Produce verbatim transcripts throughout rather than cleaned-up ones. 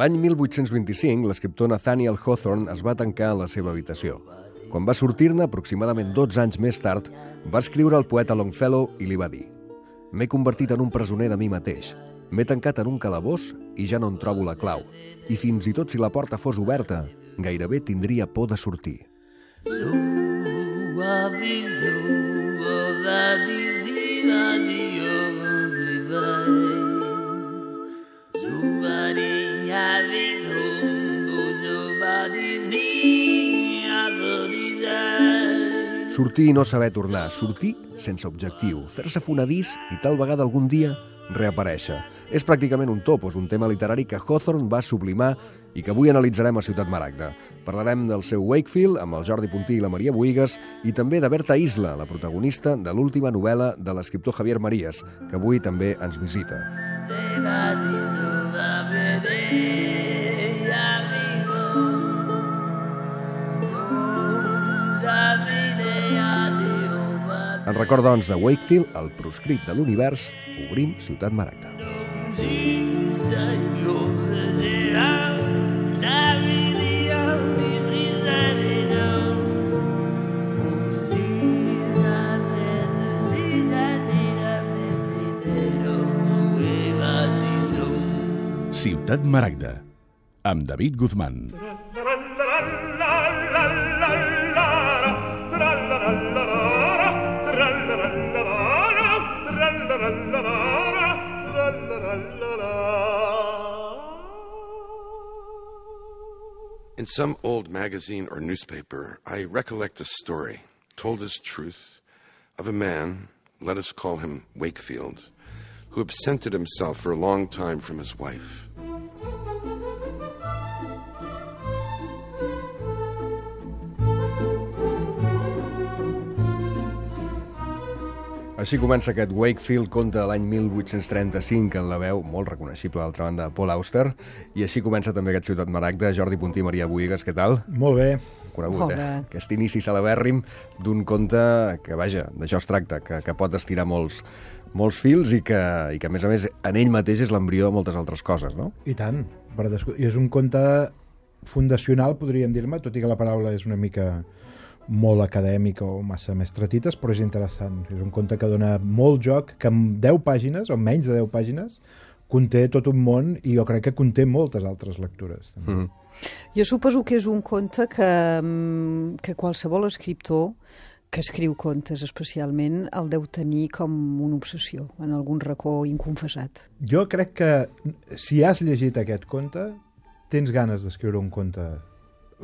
L'any mil vuit-cents vint-i-cinc, l'escriptor Nathaniel Hawthorne es va tancar en la seva habitació. Quan va sortir-ne, aproximadament dotze anys més tard, va escriure al poeta Longfellow i li va dir: «M'he convertit en un presoner de mi mateix. M'he tancat en un calabós i ja no en trobo la clau. I fins i tot si la porta fos oberta, gairebé tindria por de sortir». Sortir i no saber tornar, sortir sense objectiu, fer-se fonedís i tal vegada algun dia reaparèixer. És pràcticament un topos, un tema literari que Hawthorne va sublimar i que avui analitzarem a Ciutat Maragda. Parlarem del seu Wakefield amb el Jordi Puntí i la Maria Buïgas i també de Berta Isla, la protagonista de l'última novel·la de l'escriptor Javier Marías, que avui també ens visita. En record, doncs, de Wakefield, el proscrit de l'univers, obrim Ciutat Maragda. Ciutat Maragda, amb David Guzmán. In some old magazine or newspaper, I recollect a story, told as truth, of a man, let us call him Wakefield, who absented himself for a long time from his wife. Així comença aquest Wakefield, conte de l'any mil vuit-cents trenta-cinc, en la veu molt reconeixible, d'altra banda, Paul Auster. I així comença també aquest Ciutat Maragda. Jordi Puntí, Maria Buïgas, què tal? Molt bé. Conegut, eh? Aquest inici celebèrrim d'un conte que, vaja, d'això es tracta, que, que pot estirar molts, molts fils i que, i que, a més a més, en ell mateix és l'embrió de moltes altres coses, no? I tant. Per descu... I és un conte fundacional, podríem dir-me, tot i que la paraula és una mica molt acadèmica o massa més tretites, però és interessant. És un conte que dona molt joc, que en deu pàgines, o menys de deu pàgines, conté tot un món i jo crec que conté moltes altres lectures. També. Mm. Jo suposo que és un conte que, que qualsevol escriptor que escriu contes especialment el deu tenir com una obsessió en algun racó inconfessat. Jo crec que si has llegit aquest conte tens ganes d'escriure un conte.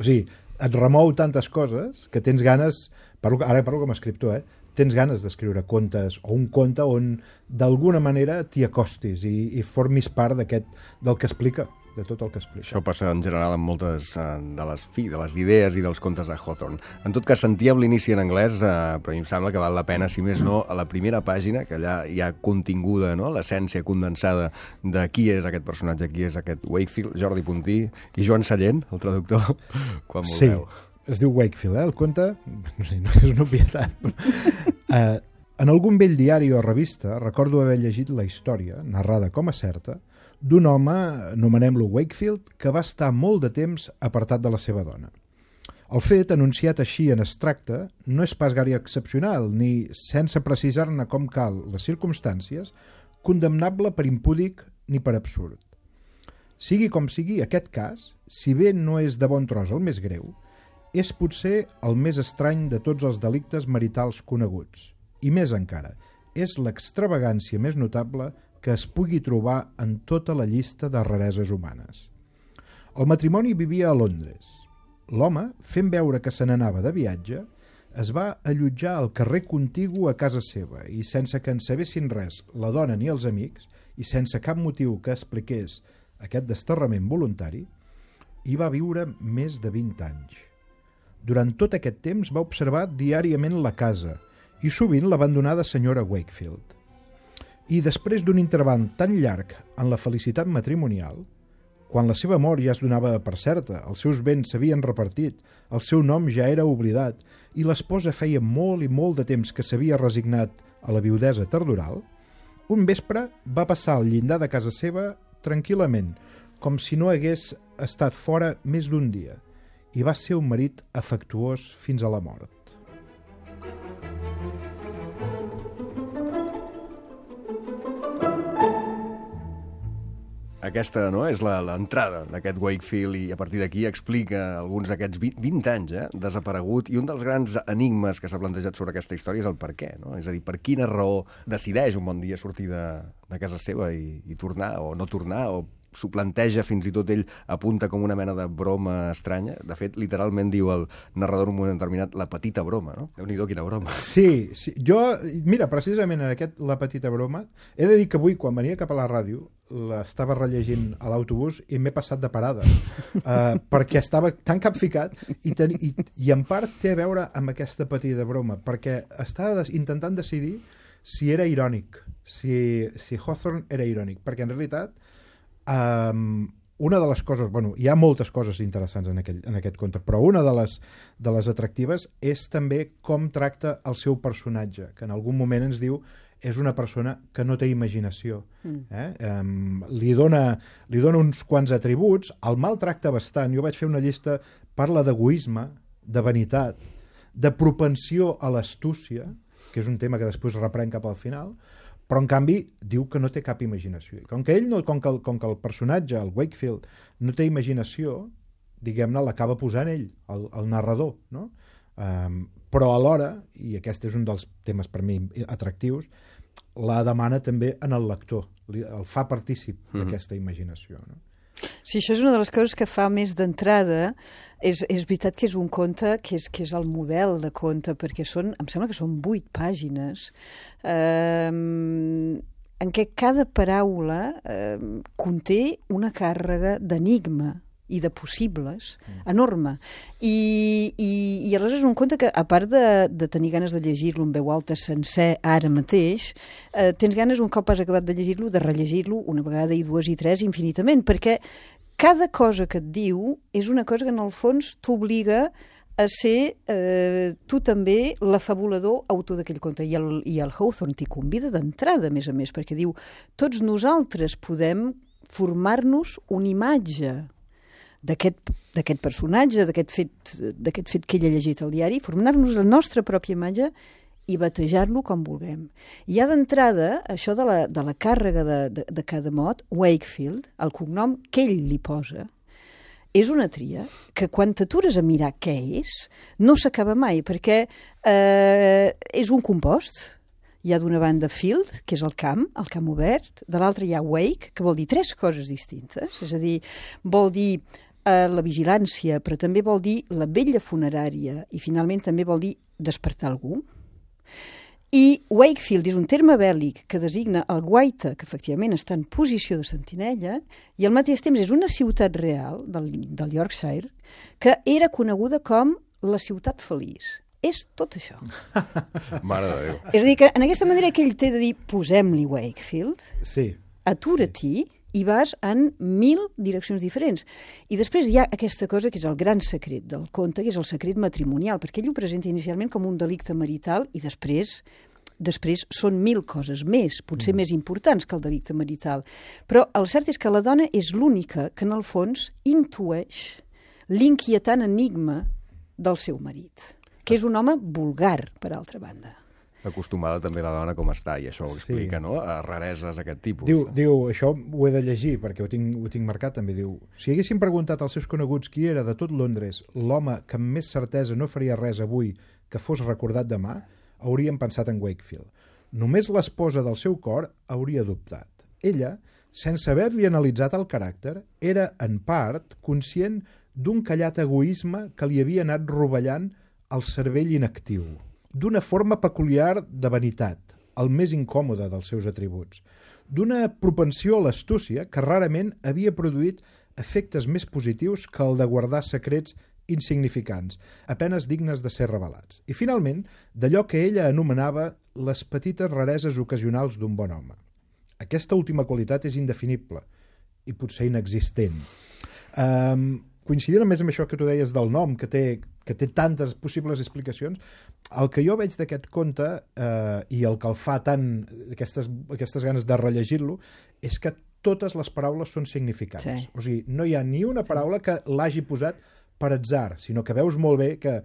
O sigui, et remou tantes coses que tens ganes, parlo, ara parlo com a escriptor, eh? tens ganes d'escriure contes o un conte on d'alguna manera t'hi acostis i, i formis part d'aquest, del que explica, de tot el que explica. Això passa en general amb moltes uh, de, les, fi, de les idees i dels contes de Hawthorne. En tot cas, sentíem l'inici en anglès, uh, però a mi em sembla que val la pena, si més no, a la primera pàgina, que allà hi ha continguda, no?, l'essència condensada de qui és aquest personatge, qui és aquest Wakefield, Jordi Puntí i Joan Sallent, el traductor, quan vulgueu. Sí. Es diu Wakefield, eh? El conte, no sé, no és una obvietat. uh, en algun vell diari o revista recordo haver llegit la història, narrada com a certa, d'un home, anomenem-lo Wakefield, que va estar molt de temps apartat de la seva dona. El fet, anunciat així en extracte, no és pas gaire excepcional, ni, sense precisar-ne com cal les circumstàncies, condemnable per impúdic ni per absurd. Sigui com sigui, aquest cas, si bé no és de bon tros el més greu, és potser el més estrany de tots els delictes maritals coneguts. I més encara, és l'extravagància més notable que es pugui trobar en tota la llista de rareses humanes. El matrimoni vivia a Londres. L'home, fent veure que se n'anava de viatge, es va allotjar al carrer contigu a casa seva i, sense que en sabessin res la dona ni els amics, i sense cap motiu que expliqués aquest desterrament voluntari, hi va viure més de vint anys. Durant tot aquest temps va observar diàriament la casa i sovint l'abandonada senyora Wakefield. I després d'un interval tan llarg en la felicitat matrimonial, quan la seva mort ja es donava per certa, els seus béns s'havien repartit, el seu nom ja era oblidat i l'esposa feia molt i molt de temps que s'havia resignat a la viudesa tardoral, un vespre va passar al llindar de casa seva tranquil·lament, com si no hagués estat fora més d'un dia i va ser un marit afectuós fins a la mort. Aquesta, no?, és la- l'entrada d'aquest Wakefield i a partir d'aquí explica alguns d'aquests vint, vint anys, eh, desaparegut, i un dels grans enigmes que s'ha plantejat sobre aquesta història és el per què, no? És a dir, per quina raó decideix un bon dia sortir de, de casa seva i, i tornar o no tornar, o s'ho planteja, fins i tot ell apunta com una mena de broma estranya. De fet, literalment diu el narrador en un moment determinat la petita broma, no? Déu-n'hi-do, quina broma. Sí, sí, jo, mira, precisament en aquest La petita broma, he de dir que avui, quan venia cap a la ràdio, l'estava rellegint a l'autobús i m'he passat de parada, uh, perquè estava tan capficat i, ten, i, i en part té a veure amb aquesta petita broma, perquè estava des, intentant decidir si era irònic, si, si Hawthorne era irònic, perquè en realitat Um, una de les coses, bueno, hi ha moltes coses interessants en, aquell, en aquest conte, però una de les, de les atractives és també com tracta el seu personatge, que en algun moment ens diu és una persona que no té imaginació. Mm. Eh? Um, li, dona, li dona uns quants atributs, el maltracta bastant. Jo vaig fer una llista, parla d'egoisme, de vanitat, de propensió a l'astúcia, que és un tema que després reprèn cap al final, però en canvi diu que no té cap imaginació. I com que ell no, com que el, com que el personatge, el Wakefield, no té imaginació, diguem-ne, l'acaba posant ell, el, el narrador, no? Um, però alhora, i aquest és un dels temes per mi atractius, la demana també en el lector, el fa partícip mm-hmm. d'aquesta imaginació, no? Sí, això és una de les coses que fa més d'entrada. És, és veritat que és un conte que és, que és el model de conte, perquè són, em sembla que són vuit pàgines eh, en què cada paraula eh, conté una càrrega d'enigma i de possibles, enorme. I, i, i aleshores és un conte que, a part de, de tenir ganes de llegir-lo en veu alta sencer ara mateix, eh, tens ganes, un cop has acabat de llegir-lo, de rellegir-lo una vegada i dues i tres infinitament, perquè cada cosa que et diu és una cosa que en el fons t'obliga a ser eh, tu també l'afabulador autor d'aquell conte. I el, i el Hawthorne t'hi convida d'entrada, a més a més, perquè diu tots nosaltres podem formar-nos una imatge d'aquest personatge, d'aquest fet, d'aquest fet que ell ha llegit al diari, formar-nos la nostra pròpia imatge i batejar-lo com vulguem. I ha d'entrada, això de la, de la càrrega de, de, de cada mot, Wakefield, el cognom que ell li posa, és una tria que quan t'atures a mirar què és, no s'acaba mai, perquè eh, és un compost. Hi ha d'una banda field, que és el camp, el camp obert, de l'altra hi ha wake, que vol dir tres coses distintes, és a dir, vol dir eh, la vigilància, però també vol dir la vetlla funerària i finalment també vol dir despertar algú. I Wakefield és un terme bèl·lic que designa el guaita, que efectivament està en posició de sentinella, i al mateix temps és una ciutat real del, del Yorkshire que era coneguda com la ciutat feliç. És tot això. Mare de Déu. És a dir, que en aquesta manera que ell té de dir posem-li Wakefield, sí. atura-t'hi, sí. i vas en mil direccions diferents. I després hi ha aquesta cosa que és el gran secret del conte, que és el secret matrimonial, perquè ell ho presenta inicialment com un delicte marital i després després són mil coses més, potser mm. més importants que el delicte marital. Però el cert és que la dona és l'única que en el fons intueix l'inquietant enigma del seu marit, que és un home vulgar, per altra banda. Acostumada també la dona com està, i això ho explica, sí. no? A rareses d'aquest tipus. Diu, diu, això ho he de llegir, perquè ho tinc, ho tinc marcat també, diu, si haguessin preguntat als seus coneguts qui era de tot Londres l'home que amb més certesa no faria res avui que fos recordat demà, haurien pensat en Wakefield. Només l'esposa del seu cor hauria dubtat. Ella, sense haver-li analitzat el caràcter, era, en part, conscient d'un callat egoisme que li havia anat rovellant el cervell inactiu, d'una forma peculiar de vanitat, el més incòmode dels seus atributs, d'una propensió a l'astúcia que rarament havia produït efectes més positius que el de guardar secrets insignificants, apenes dignes de ser revelats. I, finalment, d'allò que ella anomenava les petites rareses ocasionals d'un bon home. Aquesta última qualitat és indefinible i potser inexistent. Um, coincidint més amb això que tu deies del nom, que té, que té tantes possibles explicacions, el que jo veig d'aquest conte eh, i el que el fa tant, aquestes, aquestes ganes de rellegir-lo, és que totes les paraules són significants. Sí. O sigui, no hi ha ni una paraula que l'hagi posat per atzar, sinó que veus molt bé que,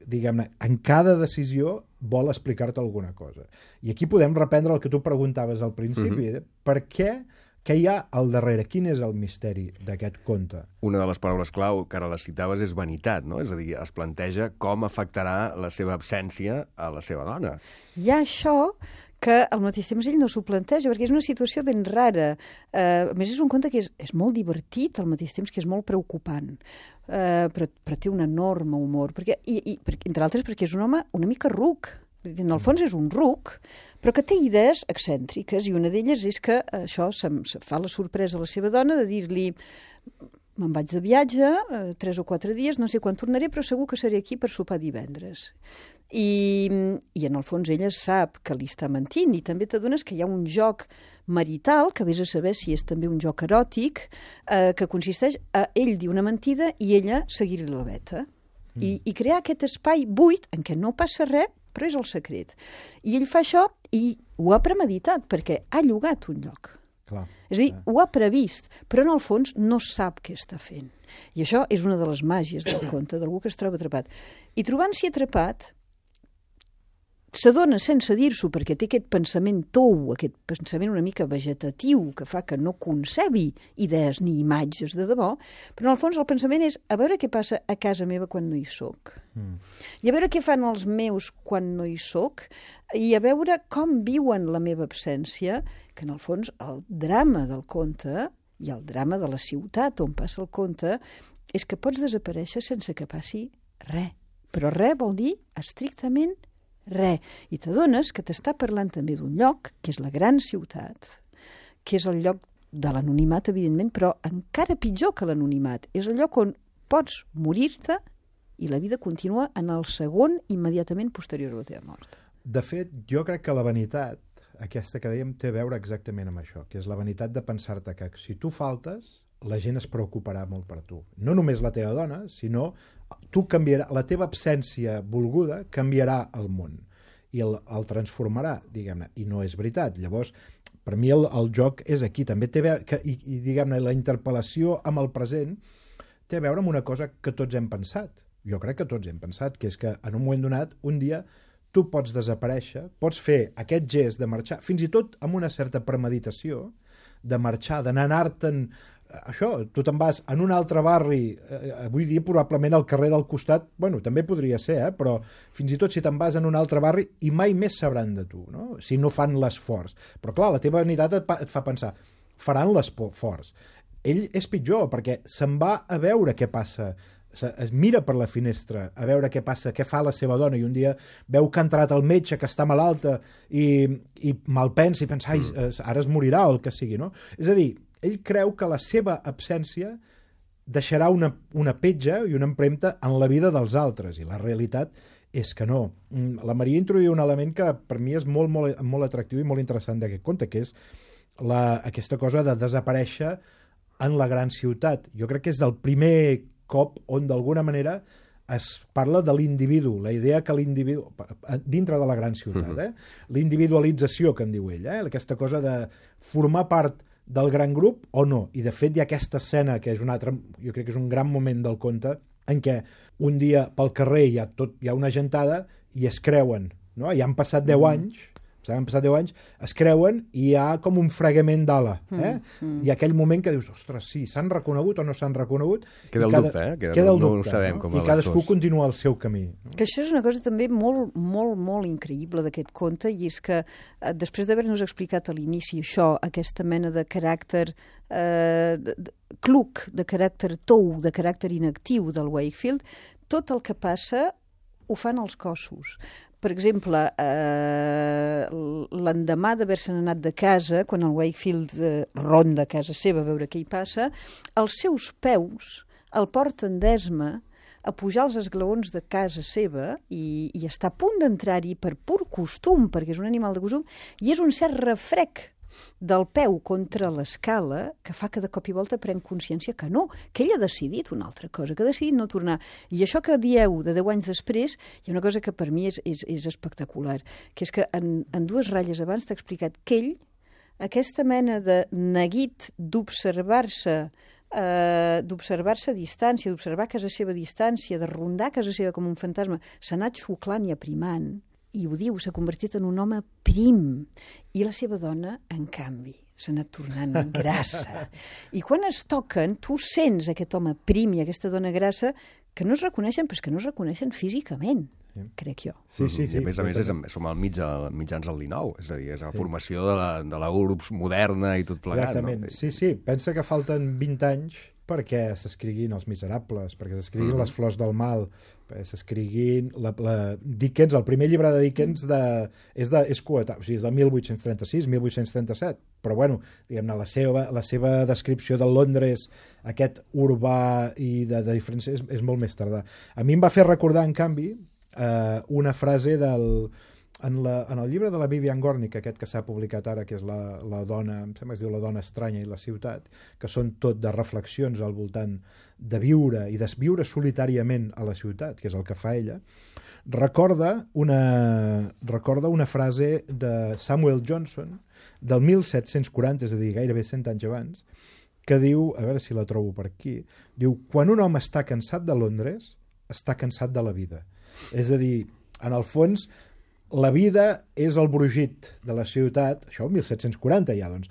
diguem-ne, en cada decisió vol explicar-te alguna cosa. I aquí podem reprendre el que tu preguntaves al principi. Mm-hmm. Per què? Què hi ha al darrere? Quin és el misteri d'aquest conte? Una de les paraules clau, que ara les citaves, és vanitat, no? És a dir, es planteja com afectarà la seva absència a la seva dona. Hi ha això que al mateix temps ell no s'ho planteja, perquè és una situació ben rara. Uh, a més, és un conte que és, és molt divertit, al mateix temps que és molt preocupant, uh, però, però té un enorme humor, perquè, i, i, per, entre altres perquè és un home una mica ruc. En el fons és un ruc, però que té idees excèntriques, i una d'elles és que això se, se fa la sorpresa a la seva dona de dir-li: me'n vaig de viatge, eh, tres o quatre dies, no sé quan tornaré, però segur que seré aquí per sopar divendres. I, i en el fons ella sap que li està mentint, i també t'adones que hi ha un joc marital, que vés a saber si és també un joc eròtic, eh, que consisteix a ell dir una mentida i ella seguir-li la veta. Mm. I, I crear aquest espai buit en què no passa res, però és el secret. I ell fa això i ho ha premeditat, perquè ha llogat un lloc. Clar. És a dir, ho ha previst, però en el fons no sap què està fent. I això és una de les màgies del conte, d'algú que es troba atrapat. I trobant-s'hi atrapat, s'adona sense dir-s'ho, perquè té aquest pensament tou, aquest pensament una mica vegetatiu, que fa que no concebi idees ni imatges de debò, però en el fons el pensament és a veure què passa a casa meva quan no hi soc. Mm. I a veure què fan els meus quan no hi soc, i a veure com viuen la meva absència, que en el fons el drama del conte i el drama de la ciutat on passa el conte és que pots desaparèixer sense que passi res. Però res vol dir estrictament res. I t'adones que t'està parlant també d'un lloc, que és la gran ciutat, que és el lloc de l'anonimat, evidentment, però encara pitjor que l'anonimat. És el lloc on pots morir-te i la vida continua en el segon immediatament posterior a la teva mort. De fet, jo crec que la vanitat, aquesta que dèiem, té a veure exactament amb això, que és la vanitat de pensar-te que si tu faltes, la gent es preocuparà molt per tu. No només la teva dona, sinó tu canviarà, la teva absència volguda canviarà el món i el, el transformarà, diguem-ne, i no és veritat. Llavors, per mi el, el joc és aquí, també té a veure, que, i, i diguem-ne, la interpel·lació amb el present té a veure amb una cosa que tots hem pensat. Jo crec que tots hem pensat, que és que en un moment donat, un dia, tu pots desaparèixer, pots fer aquest gest de marxar, fins i tot amb una certa premeditació, de marxar, d'anar anar-te'n. Això, tu te'n vas en un altre barri, eh, avui dia probablement al carrer del costat, bueno, també podria ser, eh, però fins i tot si te'n vas en un altre barri i mai més sabran de tu, no? Si no fan l'esforç. Però clar, la teva vanitat et, et fa pensar, faran l'esforç. Ell és pitjor, perquè se'n va a veure què passa, es mira per la finestra a veure què passa, què fa la seva dona, i un dia veu que ha entrat el metge, que està malalta, i, i malpensa i pensa, ai, ara es morirà o el que sigui, no? És a dir, ell creu que la seva absència deixarà una, una petja i una empremta en la vida dels altres, i la realitat és que no. La Maria introduïa un element que per mi és molt, molt, molt atractiu i molt interessant d'aquest conte, que és la, aquesta cosa de desaparèixer en la gran ciutat. Jo crec que és el primer cop on d'alguna manera es parla de l'individu, la idea que l'individu, dintre de la gran ciutat, eh? L'individualització que en diu ell, eh? Aquesta cosa de formar part del gran grup o no. I de fet hi ha aquesta escena que és un altre, jo crec que és un gran moment del conte, en què un dia pel carrer hi ha, tot, hi ha una gentada i es creuen, no? Ja han passat deu anys, han passat deu anys, es creuen i hi ha com un fregament d'ala. Eh? Mm, mm. Hi ha aquell moment que dius, ostres, sí, s'han reconegut o no s'han reconegut? Queda el cada, dubte, eh? Queda, queda el no, dubte, no ho sabem, no? com I cadascú continua el seu camí. No? Que això és una cosa també molt, molt, molt increïble d'aquest conte, i és que eh, després d'haver-nos explicat a l'inici això, aquesta mena de caràcter eh, de, de, cluc, de caràcter tou, de caràcter inactiu del Wakefield, tot el que passa ho fan els cossos. Per exemple, eh, l'endemà d'haver-se'n anat de casa, quan el Wakefield eh, ronda a casa seva a veure què hi passa, els seus peus el porten d'esma a pujar els esglaons de casa seva i, i està a punt d'entrar-hi per pur costum, perquè és un animal de costum, i és un cert refrec del peu contra l'escala que fa que de cop i volta pren consciència que no, que ell ha decidit una altra cosa, que ha decidit no tornar. I això que dieu de deu anys després, hi ha una cosa que per mi és, és, és espectacular, que és que en, en dues ratlles abans t'ha explicat que ell aquesta mena de neguit d'observar-se Uh, d'observar-se a distància, d'observar a casa seva a distància, de rondar a casa seva com un fantasma, s'ha anat xuclant i aprimant, i ho diu, s'ha convertit en un home prim. I la seva dona, en canvi, s'ha anat tornant grassa. I quan es toquen, tu sents aquest home prim i aquesta dona grassa que no es reconeixen, però és que no es reconeixen físicament, sí. crec jo. Sí, sí, sí. I a més a més és, som al mig, al mitjans del dinou, és a dir, és la sí. formació de la, de la urbs moderna i tot plegat. Exactament, no? sí, sí. Pensa que falten vint anys perquè s'escriguin Els Miserables, perquè s'escriguin mm. Les Flors del Mal, perquè s'escriguin la, la Dickens, el primer llibre de Dickens de, és, de, és coetà, o sigui, és de mil vuit-cents trenta-sis mil vuit-cents trenta-set, però bueno, diguem-ne, la seva, la seva descripció de Londres, aquest urbà i de, de diferència, és, és molt més tardà. A mi em va fer recordar, en canvi, eh, una frase del... En, la, en el llibre de la Vivian Gornick, aquest que s'ha publicat ara, que és la, la dona, em sembla que es diu La dona estranya i la ciutat, que són tot de reflexions al voltant de viure i desviure solitàriament a la ciutat, que és el que fa ella, recorda una, recorda una frase de Samuel Johnson del mil set-cents quaranta, és a dir, gairebé cent anys abans, que diu, a veure si la trobo per aquí, diu, quan un home està cansat de Londres, està cansat de la vida. És a dir, en el fons, la vida és el brugit de la ciutat, això el mil set-cents quaranta ja, doncs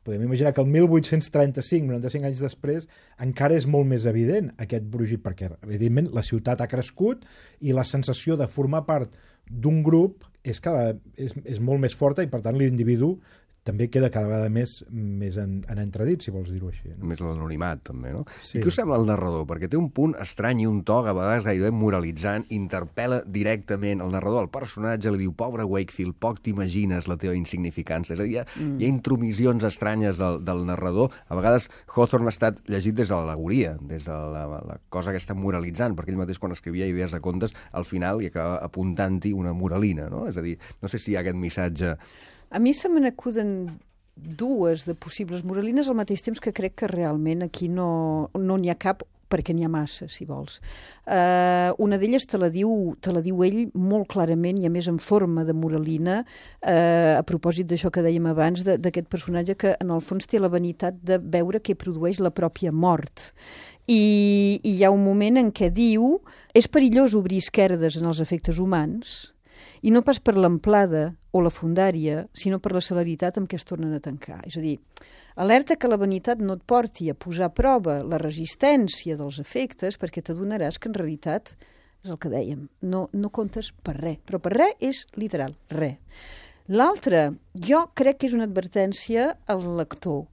podem imaginar que el mil vuit-cents trenta-cinc, noranta-cinc anys després, encara és molt més evident aquest brugit, perquè evidentment la ciutat ha crescut i la sensació de formar part d'un grup és, cada, és, és molt més forta i per tant l'individu també queda cada vegada més, més en, en entredit, si vols dir-ho així. No? Més l'anonimat, també, no? Sí. I què us sembla el narrador? Perquè té un punt estrany i un to, a vegades gairebé moralitzant, interpel·la directament el narrador, el personatge, li diu, pobre Wakefield, poc t'imagines la teva insignificància. És a dir, hi ha, mm. hi ha intromissions estranyes del, del narrador. A vegades Hawthorne ha estat llegit des de l'al·legoria, des de la, la cosa que està moralitzant, perquè ell mateix quan escrivia idees de contes, al final hi acaba apuntant-hi una moralina, no? És a dir, no sé si hi ha aquest missatge... A mi se me n'acuden dues de possibles moralines al mateix temps que crec que realment aquí no no n'hi ha cap perquè n'hi ha massa, si vols. Uh, una d'elles te la diu te la diu ell molt clarament i a més en forma de moralina, uh, a propòsit d'això que dèiem abans, d'aquest personatge que en el fons té la vanitat de veure què produeix la pròpia mort. I, i hi ha un moment en què diu és perillós obrir esquerdes en els efectes humans i no pas per l'amplada o la fundària, sinó per la celeritat amb què es tornen a tancar. És a dir, alerta que la vanitat no et porti a posar a prova la resistència dels efectes perquè t'adonaràs que en realitat, és el que dèiem, no, no comptes per res. Però per res és literal, res. L'altre, jo crec que és una advertència al lector,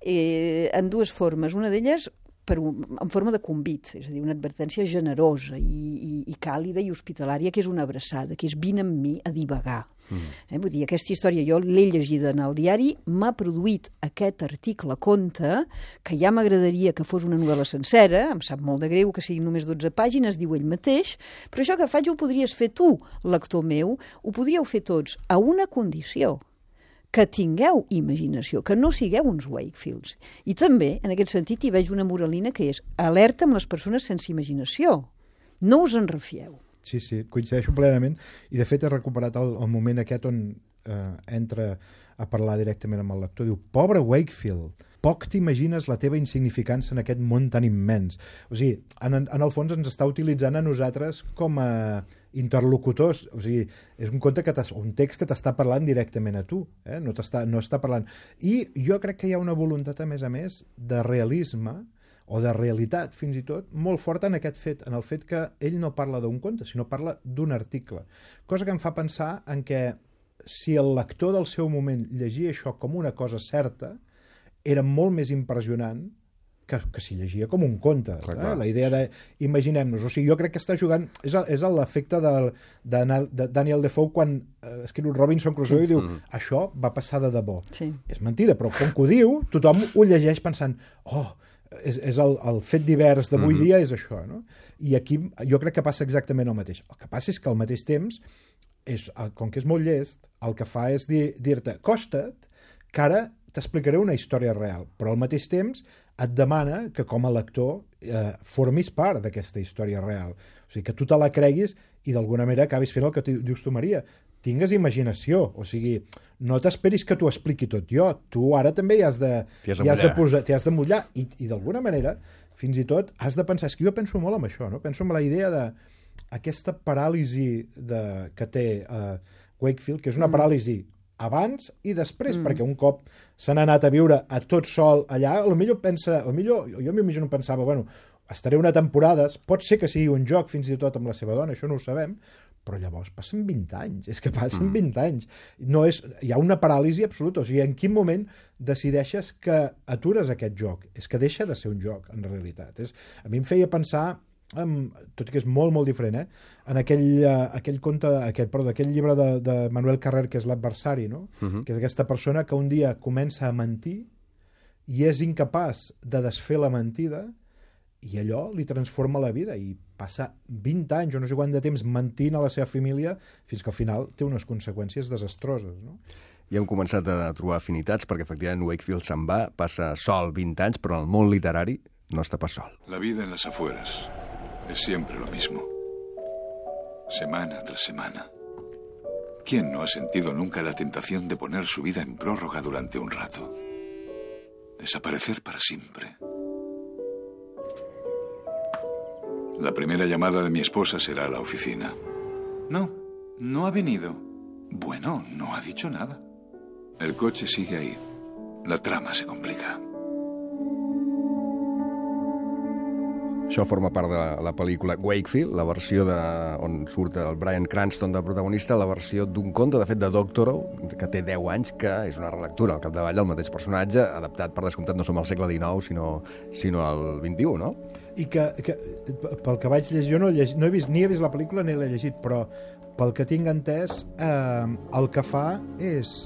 eh, en dues formes. Una d'elles per un, en forma de convit, és a dir, una advertència generosa i, i, i càlida i hospitalària, que és una abraçada, que és vine amb mi a divagar. Mm. Eh, vull dir, aquesta història jo l'he llegida en el diari, m'ha produït aquest article conte, que ja m'agradaria que fos una novel·la sencera, em sap molt de greu que siguin només dotze pàgines, diu ell mateix, però això que faig ho podries fer tu, lector meu, ho podríeu fer tots, a una condició, que tingueu imaginació, que no sigueu uns Wakefields. I també, en aquest sentit, hi veig una moralina que és alerta amb les persones sense imaginació. No us en refieu. Sí, sí, coincideixo plenament. I, de fet, he recuperat el, el moment aquest on eh, entra a parlar directament amb el lector. Diu, pobre Wakefield, poc t'imagines la teva insignificància en aquest món tan immens. O sigui, en, en el fons ens està utilitzant a nosaltres com a interlocutors, o sigui, és un conte que un text que t'està parlant directament a tu, eh? no, t'està, no està parlant. I jo crec que hi ha una voluntat, a més a més, de realisme, o de realitat, fins i tot, molt forta en aquest fet, en el fet que ell no parla d'un conte, sinó parla d'un article. Cosa que em fa pensar en què si el lector del seu moment llegia això com una cosa certa, era molt més impressionant que, que si llegia com un conte. Clar, eh? clar. La idea de, imaginem-nos, o sigui, jo crec que està jugant, és, és l'efecte de, de, de Daniel Defoe quan eh, escriu Robinson Crusoe sí. i diu, mm. això va passar de debò. Sí. És mentida, però com que ho diu, tothom ho llegeix pensant, oh, és, és el, el fet divers d'avui mm-hmm. dia és això, no? I aquí jo crec que passa exactament el mateix. El que passa és que al mateix temps, és, com que és molt llest, el que fa és dir, dir-te, costa't, que ara t'explicaré una història real, però al mateix temps et demana que com a lector eh, formis part d'aquesta història real. O sigui, que tu te la creguis i d'alguna manera acabis fent el que dius tu, Maria. tingues imaginació, o sigui, no t'esperis que t'ho expliqui tot jo, tu ara també hi has de, T'hi has de hi has de, mullar. posar, t'hi has de mullar, i, i d'alguna manera, fins i tot, has de pensar, és que jo penso molt en això, no? Penso en la idea de aquesta paràlisi de, que té uh, Wakefield, que és una paràlisi abans i després, mm. perquè un cop s'han anat a viure a tot sol allà, potser pensa, potser, jo m'imagino pensava, bueno, estaré una temporada, pot ser que sigui un joc fins i tot amb la seva dona, això no ho sabem, però llavors passen vint anys, és que passen vint anys. No és, hi ha una paràlisi absoluta, o sigui, en quin moment decideixes que atures aquest joc? És que deixa de ser un joc, en realitat. És, a mi em feia pensar, um, tot i que és molt, molt diferent, eh? en aquell, uh, aquell conte, aquell, perdó, aquell llibre de, de Manuel Carrer, que és l'adversari, no? Uh-huh. Que és aquesta persona que un dia comença a mentir i és incapaç de desfer la mentida, i allò li transforma la vida i passa vint anys o no sé quant de temps mentint a la seva família fins que al final té unes conseqüències desastroses, no? I hem començat a trobar afinitats perquè efectivament Wakefield se'n va, passa sol vint anys, però en el món literari no està pas sol. La vida en las afueras es siempre lo mismo. Semana tras semana. ¿Quién no ha sentido nunca la tentación de poner su vida en prórroga durante un rato? Desaparecer para siempre. La primera llamada de mi esposa será a la oficina. No, no ha venido. Bueno, no ha dicho nada. El coche sigue ahí. La trama se complica. Això forma part de la pel·lícula Wakefield, la versió de, on surt el Bryan Cranston de protagonista, la versió d'un conte, de fet, de Doctorow, que té deu anys, que és una relectura al capdavall del mateix personatge, adaptat, per descomptat, no som al segle dinou, sinó, sinó al vint-i-u, no? I que, que pel que vaig llegir, jo no he, llegit, no he vist, ni he vist la pel·lícula ni l'he llegit, però pel que tinc entès, eh, el que fa és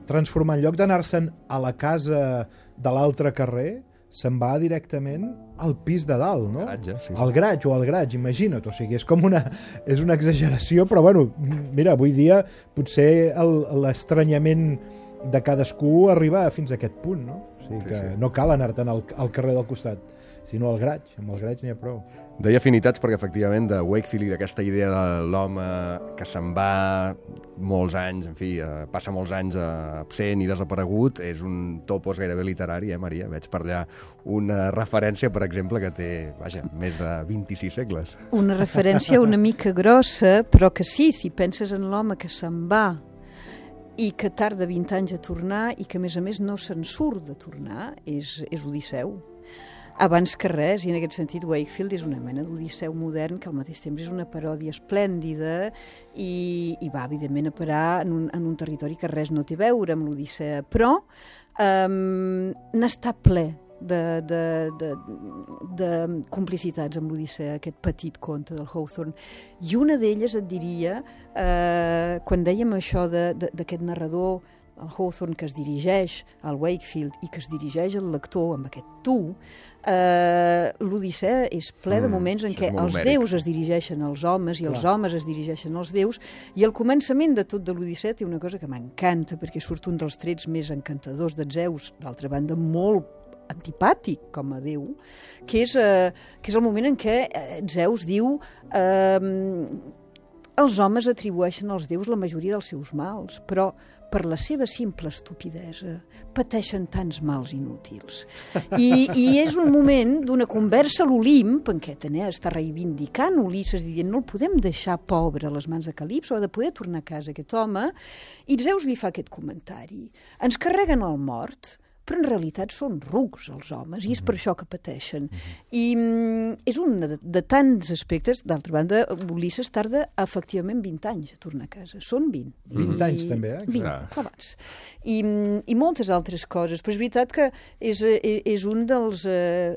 transformar, en lloc d'anar-se'n a la casa de l'altre carrer, se'n va directament al pis de dalt, no? Garatge, sí, sí. Al garatge o al garatge, imagina't. O sigui, és com una, és una exageració, però bueno, mira, avui dia potser el- l'estranyament de cadascú arriba fins a aquest punt, no? O sigui Sí, que sí. no cal anar-te'n al, al carrer del costat, sinó al garatge. Amb els garatge n'hi ha prou. Deia afinitats perquè, efectivament, de Wakefield i d'aquesta idea de l'home que se'n va molts anys, en fi, eh, passa molts anys eh, absent i desaparegut, és un topos gairebé literari, eh, Maria? Veig per allà una referència, per exemple, que té, vaja, més de vint-i-sis segles. Una referència una mica grossa, però que sí, si penses en l'home que se'n va i que tarda vint anys a tornar i que, a més a més, no se'n surt de tornar, és, és Odisseu. Abans que res, i en aquest sentit Wakefield és una mena d'Odisseu modern que al mateix temps és una paròdia esplèndida i, i va, evidentment, a parar en un, en un territori que res no té a veure amb l'Odissea, però um, n'està ple de, de, de, de complicitats amb l'Odissea, aquest petit conte del Hawthorne. I una d'elles et diria, eh, quan dèiem això de, de, d'aquest narrador, el Hawthorne, que es dirigeix al Wakefield i que es dirigeix al lector amb aquest tu, eh, l'Odissea és ple de Mm, moments en això què és molt els homèric. déus es dirigeixen als homes i els Clar. homes es dirigeixen als déus, i el començament de tot de l'Odissea té una cosa que m'encanta, perquè surt un dels trets més encantadors de Zeus, d'altra banda molt antipàtic com a déu, que és, eh, que és el moment en què eh, Zeus diu eh, els homes atribueixen als déus la majoria dels seus mals, però per la seva simple estupidesa pateixen tants mals inútils. I, i és un moment d'una conversa a l'Olimp en què Atenea està reivindicant Ulisses dient no el podem deixar pobre a les mans de Calipso, ha de poder tornar a casa aquest home, i Zeus li fa aquest comentari. Ens carreguen el mort, però en realitat són rucs els homes, i és per això que pateixen. I mm, és un de, de tants aspectes. D'altra banda, Ulisses tarda efectivament vint anys a tornar a casa. Són vint. vint anys també, eh? vint, Clar. clavats. I, mm, I moltes altres coses. Però és veritat que és, eh, és un dels eh,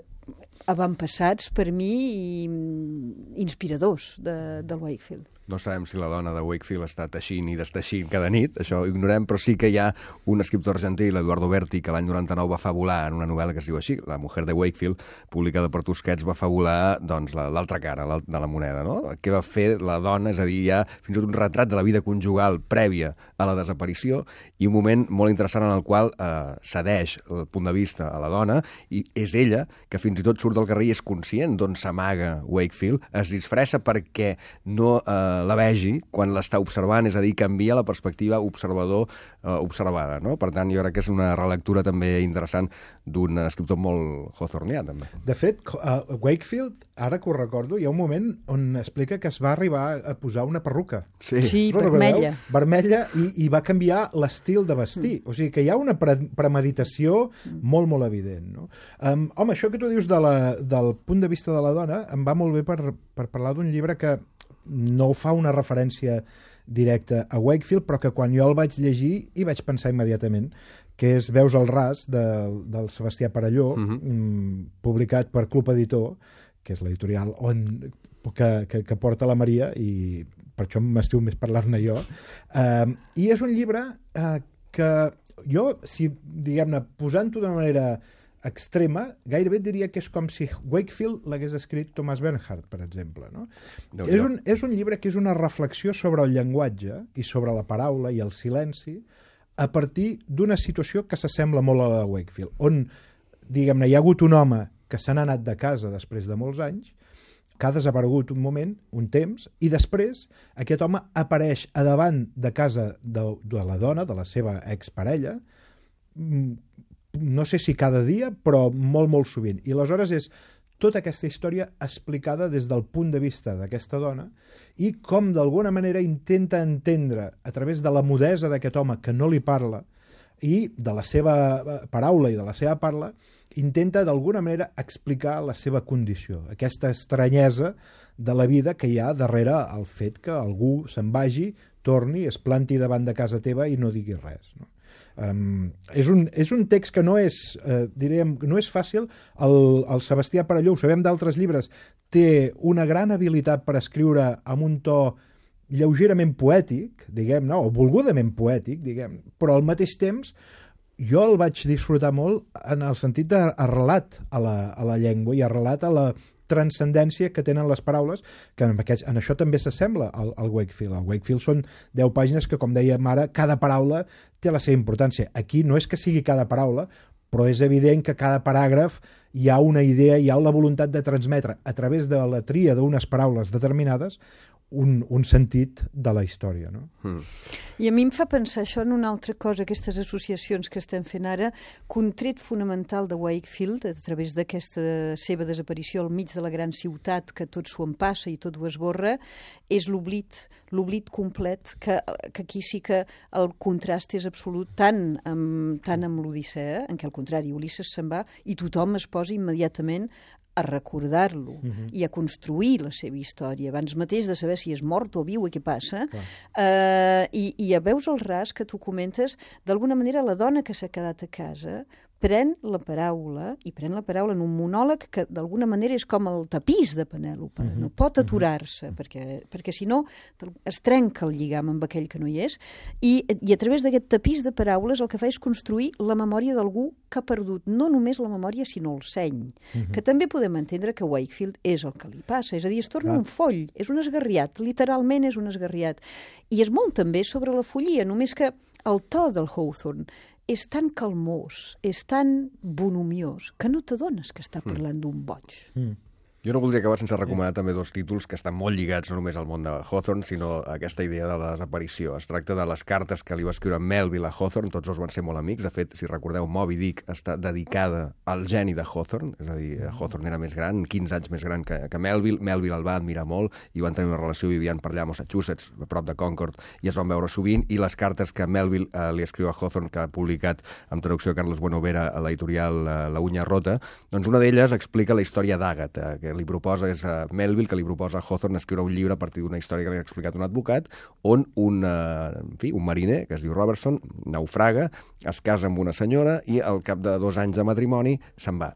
avantpassats per mi i mm, inspiradors de, del Wakefield. No sabem si la dona de Wakefield està teixint i desteixint cada nit, això ho ignorem, però sí que hi ha un escriptor argentí, l'Eduardo Berti, que l'any noranta-nou va fabular en una novel·la que es diu així, La mujer de Wakefield, publicada per Tusquets, va fabular doncs, la- l'altra cara l'al- de la moneda, no? Què va fer la dona, és a dir, hi ha fins i tot un retrat de la vida conjugal prèvia a la desaparició i un moment molt interessant en el qual eh, cedeix el punt de vista a la dona i és ella que fins i tot surt surt del carrer i és conscient d'on s'amaga Wakefield, es disfressa perquè no eh, la vegi quan l'està observant, és a dir, canvia la perspectiva observador-observada, no? Per tant, jo crec que és una relectura també interessant d'un escriptor molt hawthornià, també. De fet, uh, Wakefield, ara que ho recordo, hi ha un moment on explica que es va arribar a posar una perruca. Sí, sí vermella. Vermella, i, i va canviar l'estil de vestir. Mm. O sigui que hi ha una pre premeditació molt, molt evident. No? Um, home, això que tu dius de la, del punt de vista de la dona em va molt bé per, per parlar d'un llibre que no fa una referència directa a Wakefield, però que quan jo el vaig llegir hi vaig pensar immediatament, que és Veus al ras, de, del Sebastià Perelló, uh-huh. mm, publicat per Club Editor, que és l'editorial on, que, que, que porta la Maria, i per això m'estiu més parlar-ne jo. Uh, I és un llibre uh, que jo, si, diguem-ne, posant-ho d'una manera extrema, gairebé diria que és com si Wakefield l'hagués escrit Thomas Bernhard, per exemple. No? És, un, és un llibre que és una reflexió sobre el llenguatge i sobre la paraula i el silenci a partir d'una situació que s'assembla molt a la de Wakefield, on, diguem-ne, hi ha hagut un home que se n'ha anat de casa després de molts anys, que ha desaparegut un moment, un temps, i després aquest home apareix a davant de casa de, de la dona, de la seva exparella, no sé si cada dia, però molt, molt sovint. I aleshores és tota aquesta història explicada des del punt de vista d'aquesta dona i com d'alguna manera intenta entendre a través de la mudesa d'aquest home que no li parla i de la seva paraula i de la seva parla, intenta d'alguna manera explicar la seva condició, aquesta estranyesa de la vida que hi ha darrere el fet que algú se'n vagi, torni, es planti davant de casa teva i no digui res, no? Um, és, un, és un text que no és, eh, diríem, no és fàcil. El, el Sebastià Perelló, ho sabem d'altres llibres, té una gran habilitat per escriure amb un to lleugerament poètic, diguem, no? O volgudament poètic, diguem, però al mateix temps jo el vaig disfrutar molt en el sentit d'arrelat a la, a la llengua i arrelat a la transcendència que tenen les paraules, que en, aquest, en això també s'assembla al, al Wakefield. El Wakefield són deu pàgines que, com dèiem ara, cada paraula té la seva importància. Aquí no és que sigui cada paraula, però és evident que cada paràgraf hi ha una idea, hi ha la voluntat de transmetre a través de la tria d'unes paraules determinades un, un sentit de la història, no? Mm. I a mi em fa pensar això en una altra cosa, aquestes associacions que estem fent ara, que un tret fonamental de Wakefield, a través d'aquesta seva desaparició al mig de la gran ciutat, que tot s'ho empassa i tot ho esborra, és l'oblit, l'oblit complet, que, que aquí sí que el contrast és absolut, tant amb, tant amb l'Odissea, en què al contrari, Ulisses se'n va i tothom es posa immediatament a recordar-lo uh-huh. i a construir la seva història, abans mateix de saber si és mort o viu i què passa. Uh, i, I a Veus al ras, que tu comentes, d'alguna manera la dona que s'ha quedat a casa pren la paraula, i pren la paraula en un monòleg que d'alguna manera és com el tapís de Penèlope, uh-huh. no pot aturar-se, uh-huh. perquè, perquè si no es trenca el lligam amb aquell que no hi és, i, i a través d'aquest tapís de paraules el que fa és construir la memòria d'algú que ha perdut no només la memòria, sinó el seny, uh-huh. que també podem entendre que Wakefield és el que li passa, és a dir, es torna ah. un foll, és un esgarriat, literalment és un esgarriat, i és molt també sobre la follia, només que el to del Hawthorne és tan calmós, és tan bonomiós, que no t'adones que està parlant mm. d'un boig. Mm. Jo no voldria acabar sense recomanar també dos títols que estan molt lligats no només al món de Hawthorne, sinó a aquesta idea de la desaparició. Es tracta de les cartes que li va escriure Melville a Hawthorne, tots dos van ser molt amics. De fet, si recordeu, Moby Dick està dedicada al geni de Hawthorne, és a dir, Hawthorne era més gran, quinze anys més gran que, que Melville. Melville el va admirar molt i van tenir una relació, vivien per allà a Massachusetts, a prop de Concord, i es van veure sovint, i les cartes que Melville eh, li escriu a Hawthorne, que ha publicat amb traducció de Carlos Buenovera a l'editorial eh, La Uña Rota, doncs una d'elles explica la història d'Àgata, que li proposa, és uh, Melville, que li proposa a Hawthorne escriure un llibre a partir d'una història que li ha explicat un advocat, on un, uh, en fi, un mariner, que es diu Robertson, naufraga, es casa amb una senyora i al cap de dos anys de matrimoni se'n va.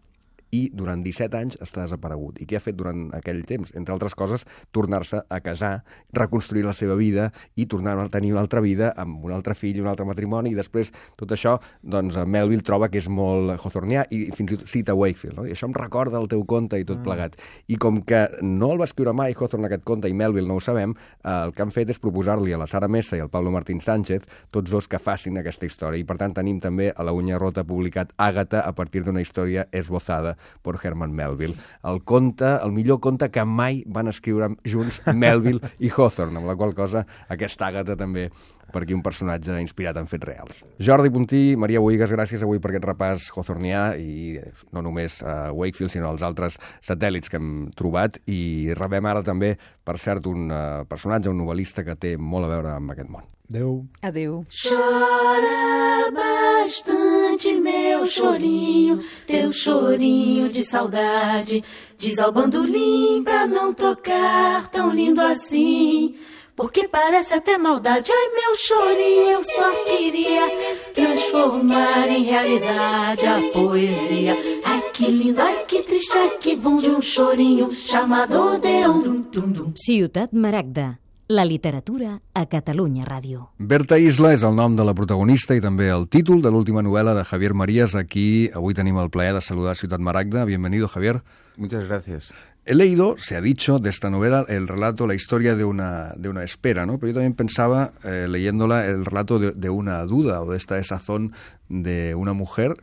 I durant disset anys està desaparegut. I què ha fet durant aquell temps? Entre altres coses, tornar-se a casar, reconstruir la seva vida i tornar a tenir una altra vida amb un altre fill, un altre matrimoni, i després tot això, doncs, Melville troba que és molt hawthornià i fins i tot cita Wakefield, no? I això em recorda el teu conte i tot ah. plegat. I com que no el va escriure mai Hawthorne aquest conte i Melville no ho sabem, eh, el que han fet és proposar-li a la Sara Messa i al Pablo Martín Sánchez, tots dos que facin aquesta història. I per tant tenim també a La Uña Rota publicat Àgata a partir d'una història esbozada por Herman Melville. El conte, el millor conte que mai van escriure junts Melville i Hawthorne, amb la qual cosa aquesta Àgata també per aquí un personatge inspirat en fets reals. Jordi Puntí, Maria Bohigas, gràcies avui per aquest repàs hawthornià i no només a Wakefield, sinó als altres satèl·lits que hem trobat. I rebem ara també, per cert, un uh, personatge, un novel·lista que té molt a veure amb aquest món. Adéu. Adéu. Chora bastante, meu chorinho, teu chorinho de saudade. Diz ao bandolim pra não tocar tão lindo assim, porque parece até maldade. Ai, meu chorinho, eu só queria transformar em realidade a poesia. Ai, que lindo, ai, que triste, ai, que bom de um chorinho chamado Odeon. Dum, dum, dum. Ciutat Maragda, la literatura a Catalunya Ràdio. Berta Isla és el nom de la protagonista i també el títol de l'última novel·la de Javier Marías. Aquí avui tenim el plaer de saludar a Ciutat Maragda. Bienvenido, Javier. Muchas gracias. He leído, se ha dicho, de esta novela el relato, la historia de una, de una espera, ¿no? Pero yo también pensaba, eh, leyéndola, el relato de, de una duda o de esta desazón de una mujer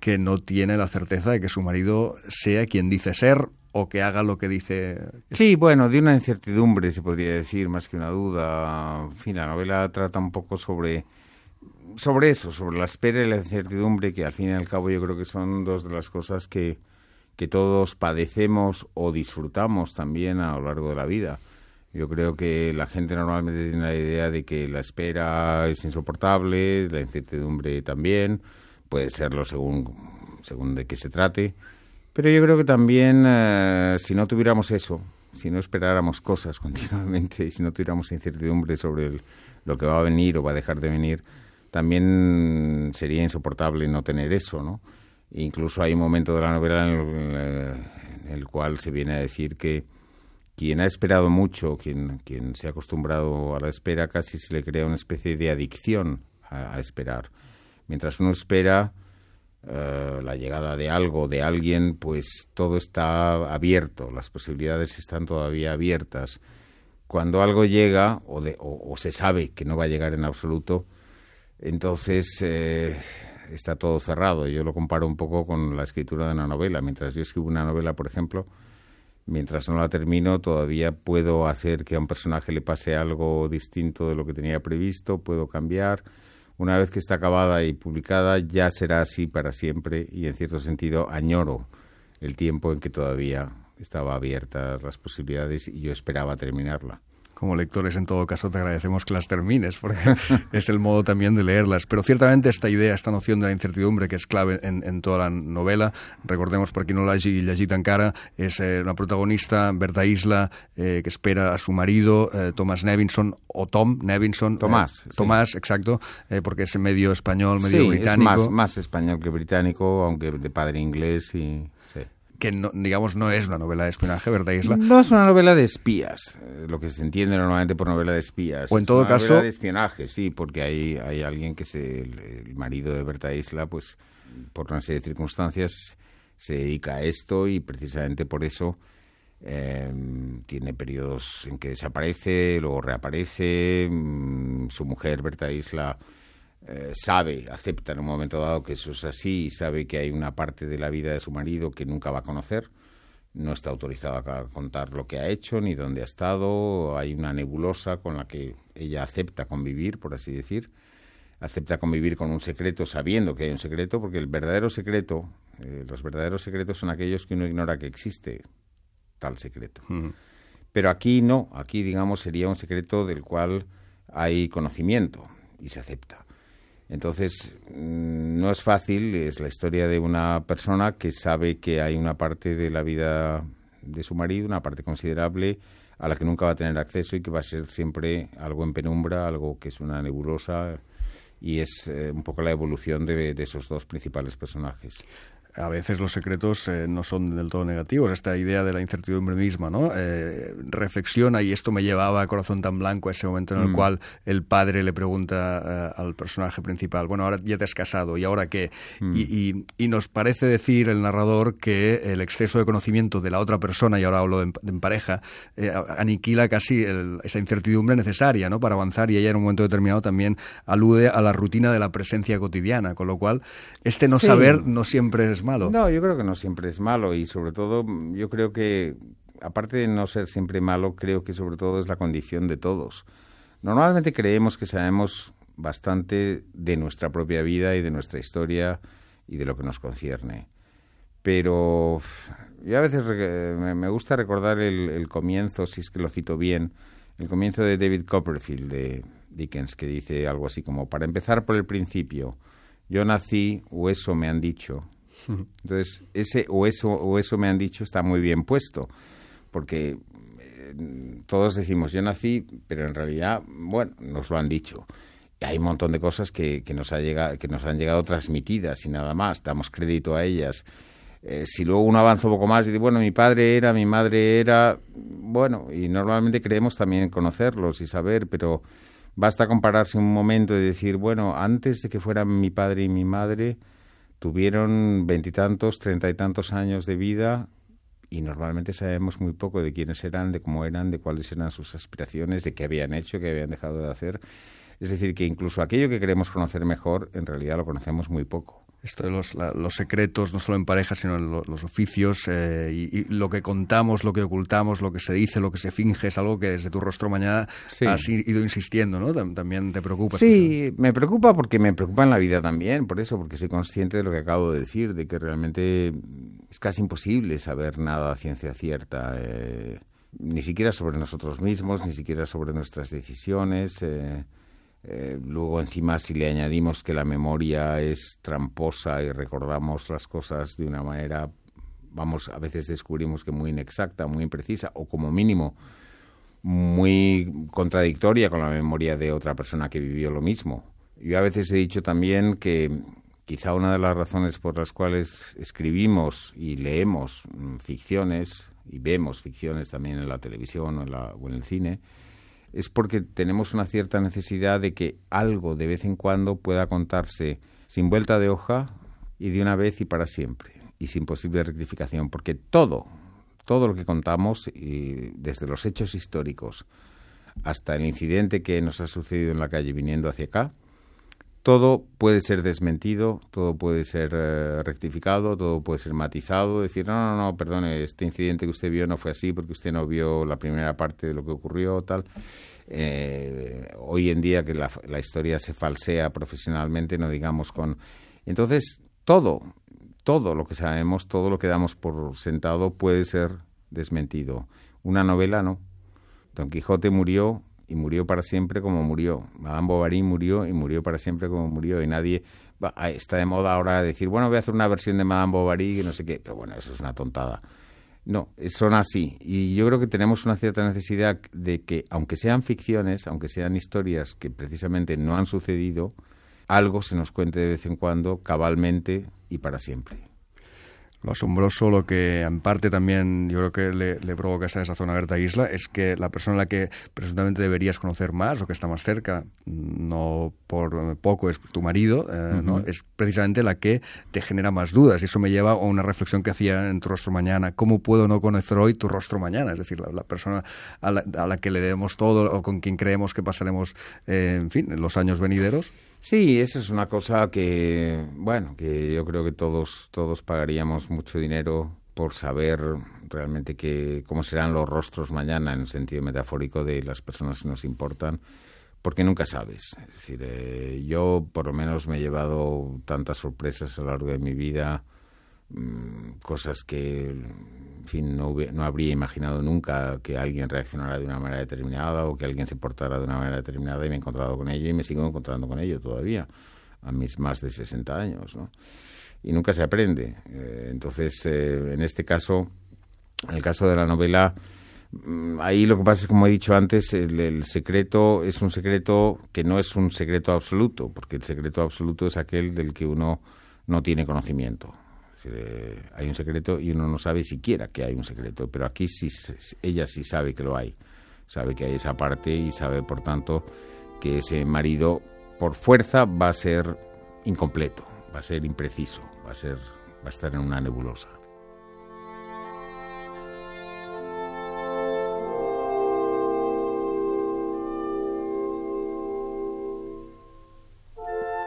que no tiene la certeza de que su marido sea quien dice ser o que haga lo que dice. Sí, bueno, de una incertidumbre se podría decir, más que una duda. En fin, la novela trata un poco sobre, sobre eso, sobre la espera y la incertidumbre, que al fin y al cabo yo creo que son dos de las cosas que que todos padecemos o disfrutamos también a lo largo de la vida. Yo creo que la gente normalmente tiene la idea de que la espera es insoportable, la incertidumbre también, puede serlo según, según de qué se trate, pero yo creo que también eh, si no tuviéramos eso, si no esperáramos cosas continuamente y si no tuviéramos incertidumbre sobre el, lo que va a venir o va a dejar de venir, también sería insoportable no tener eso, ¿no? Incluso hay un momento de la novela en el, en el cual se viene a decir que quien ha esperado mucho, quien, quien se ha acostumbrado a la espera, casi se le crea una especie de adicción a, a esperar. Mientras uno espera uh, la llegada de algo, de alguien, pues todo está abierto, las posibilidades están todavía abiertas. Cuando algo llega, o, de, o, o se sabe que no va a llegar en absoluto, entonces Eh, está todo cerrado. Yo lo comparo un poco con la escritura de una novela. Mientras yo escribo una novela, por ejemplo, mientras no la termino, todavía puedo hacer que a un personaje le pase algo distinto de lo que tenía previsto, puedo cambiar. Una vez que está acabada y publicada, ya será así para siempre y, en cierto sentido, añoro el tiempo en que todavía estaba abiertas las posibilidades y yo esperaba terminarla. Como lectores, en todo caso, te agradecemos que las termines, porque es el modo también de leerlas. Pero ciertamente esta idea, esta noción de la incertidumbre, que es clave en, en toda la novela, recordemos, per qui no l'hagi llegit encara, és eh, una protagonista, Berta Isla, eh, que espera a su marido, eh, Thomas Nevinson, o Tom Nevinson. Tomás. Eh, sí. Tomás, exacto, eh, porque es medio español, medio sí, británico. Sí, es más, más español que británico, aunque de padre inglés y... que no, digamos no es una novela de espionaje, ¿verdad, Isla? No es una novela de espías, eh, lo que se entiende normalmente por novela de espías. O en todo una caso... novela de espionaje, sí, porque hay, hay alguien que es el, el marido de Berta Isla, pues por una serie de circunstancias se dedica a esto y precisamente por eso eh, tiene periodos en que desaparece, luego reaparece, mmm, su mujer Berta Isla... Eh, sabe, acepta en un momento dado que eso es así y sabe que hay una parte de la vida de su marido que nunca va a conocer, no está autorizada a contar lo que ha hecho ni dónde ha estado, hay una nebulosa con la que ella acepta convivir, por así decir, acepta convivir con un secreto sabiendo que hay un secreto, porque el verdadero secreto, eh, los verdaderos secretos son aquellos que uno ignora que existe tal secreto. Uh-huh. Pero aquí no, aquí digamos sería un secreto del cual hay conocimiento y se acepta. Entonces, no es fácil, es la historia de una persona que sabe que hay una parte de la vida de su marido, una parte considerable, a la que nunca va a tener acceso y que va a ser siempre algo en penumbra, algo que es una nebulosa, y es eh, un poco la evolución de, de esos dos principales personajes. A veces los secretos eh, no son del todo negativos. Esta idea de la incertidumbre misma, ¿no? Eh, reflexiona, y esto me llevaba a Corazón tan blanco, a ese momento en el mm. cual el padre le pregunta uh, al personaje principal, bueno, ahora ya te has casado, ¿y ahora qué? Mm. Y, y, y nos parece decir el narrador que el exceso de conocimiento de la otra persona, y ahora hablo de en, de en pareja, eh, aniquila casi el, esa incertidumbre necesaria, ¿no?, para avanzar, y ella en un momento determinado también alude a la rutina de la presencia cotidiana, con lo cual este no sí. saber no siempre es es malo. No, yo creo que no siempre es malo y sobre todo yo creo que, aparte de no ser siempre malo, creo que sobre todo es la condición de todos. Normalmente creemos que sabemos bastante de nuestra propia vida y de nuestra historia y de lo que nos concierne. Pero yo a veces me gusta recordar el, el comienzo, si es que lo cito bien, el comienzo de David Copperfield, de Dickens, que dice algo así como, para empezar por el principio, yo nací o eso me han dicho. Entonces, ese o eso, o eso me han dicho está muy bien puesto, porque eh, todos decimos yo nací, pero en realidad, bueno, nos lo han dicho. Y hay un montón de cosas que, que, nos ha llegado, que nos han llegado transmitidas y nada más, damos crédito a ellas. Eh, si luego uno avanza un poco más y dice, bueno, mi padre era, mi madre era, bueno, y normalmente creemos también conocerlos y saber, pero basta compararse un momento y decir, bueno, antes de que fueran mi padre y mi madre, tuvieron veintitantos, treinta y tantos años de vida y normalmente sabemos muy poco de quiénes eran, de cómo eran, de cuáles eran sus aspiraciones, de qué habían hecho, qué habían dejado de hacer. Es decir, que incluso aquello que queremos conocer mejor, en realidad lo conocemos muy poco. Esto de los, la, los secretos, no solo en pareja, sino en lo, los oficios, eh, y, y lo que contamos, lo que ocultamos, lo que se dice, lo que se finge, es algo que desde Tu rostro mañana sí. has ido insistiendo, ¿no? También te preocupa. Sí, me preocupa porque me preocupa en la vida también, por eso, porque soy consciente de lo que acabo de decir, de que realmente es casi imposible saber nada a ciencia cierta, eh, ni siquiera sobre nosotros mismos, ni siquiera sobre nuestras decisiones. Eh, Eh, luego encima si le añadimos que la memoria es tramposa y recordamos las cosas de una manera, vamos, a veces descubrimos que muy inexacta, muy imprecisa o como mínimo muy contradictoria con la memoria de otra persona que vivió lo mismo. Yo a veces he dicho también que quizá una de las razones por las cuales escribimos y leemos ficciones y vemos ficciones también en la televisión o en, la, o en el cine es porque tenemos una cierta necesidad de que algo de vez en cuando pueda contarse sin vuelta de hoja y de una vez y para siempre, y sin posible rectificación, porque todo, todo lo que contamos, y desde los hechos históricos hasta el incidente que nos ha sucedido en la calle viniendo hacia acá, todo puede ser desmentido, todo puede ser eh, rectificado, todo puede ser matizado, decir, no, no, no, perdone, este incidente que usted vio no fue así porque usted no vio la primera parte de lo que ocurrió, tal. Eh, hoy en día que la, la historia se falsea profesionalmente, no digamos con... Entonces, todo, todo lo que sabemos, todo lo que damos por sentado puede ser desmentido. Una novela no. Don Quijote murió... y murió para siempre como murió. Madame Bovary murió y murió para siempre como murió. Y nadie... Va, está de moda ahora decir, bueno, voy a hacer una versión de Madame Bovary que no sé qué. Pero bueno, eso es una tontada. No, son así. Y yo creo que tenemos una cierta necesidad de que, aunque sean ficciones, aunque sean historias que precisamente no han sucedido, algo se nos cuente de vez en cuando, cabalmente y para siempre. Lo asombroso, lo que en parte también yo creo que le, le provoca esa desazón a Berta Isla es que la persona a la que presuntamente deberías conocer más o que está más cerca, no por poco es tu marido, eh, uh-huh. ¿no? Es precisamente la que te genera más dudas. Y eso me lleva a una reflexión que hacía en Tu rostro mañana. ¿Cómo puedo no conocer hoy tu rostro mañana? Es decir, la, la persona a la, a la que le debemos todo o con quien creemos que pasaremos, eh, en fin, en los años venideros. Sí, eso es una cosa que, bueno, que yo creo que todos todos pagaríamos mucho dinero por saber realmente que, cómo serán los rostros mañana, en el sentido metafórico de las personas que nos importan, porque nunca sabes. Es decir, eh, yo por lo menos me he llevado tantas sorpresas a lo largo de mi vida, mmm, cosas que, en fin, no, hub- no habría imaginado nunca que alguien reaccionara de una manera determinada o que alguien se portara de una manera determinada, y me he encontrado con ello y me sigo encontrando con ello todavía, a mis más de sesenta años, ¿no? Y nunca se aprende. Eh, entonces, eh, en este caso, en el caso de la novela, mmm, ahí lo que pasa es, como he dicho antes, el, el secreto es un secreto que no es un secreto absoluto, porque el secreto absoluto es aquel del que uno no tiene conocimiento. Eh, hay un secreto y uno no sabe siquiera que hay un secreto, pero aquí sí, ella sí sabe que lo hay, sabe que hay esa parte y sabe, por tanto, que ese marido por fuerza va a ser incompleto, va a ser impreciso, va a ser, va a estar en una nebulosa.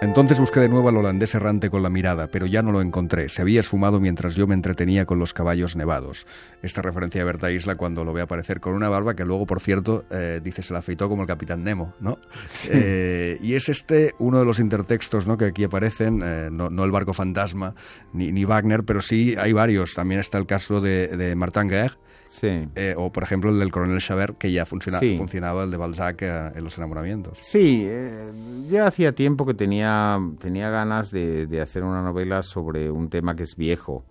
Entonces busqué de nuevo al holandés errante con la mirada, pero ya no lo encontré. Se había esfumado mientras yo me entretenía con los caballos nevados. Esta referencia a Berta Isla cuando lo ve aparecer con una barba que luego, por cierto, eh, dice se la afeitó como el Capitán Nemo, ¿no? Sí. Eh, y es este uno de los intertextos, ¿no?, que aquí aparecen, eh, no, no el barco fantasma ni, ni Wagner, pero sí hay varios. También está el caso de, de Martin Guerre, sí. eh, o por ejemplo el del coronel Chabert, que ya funciona, sí. funcionaba el de Balzac eh, en Los enamoramientos. Sí, eh, ya hacía tiempo que tenía tenía ganas de, de hacer una novela sobre un tema que es viejo,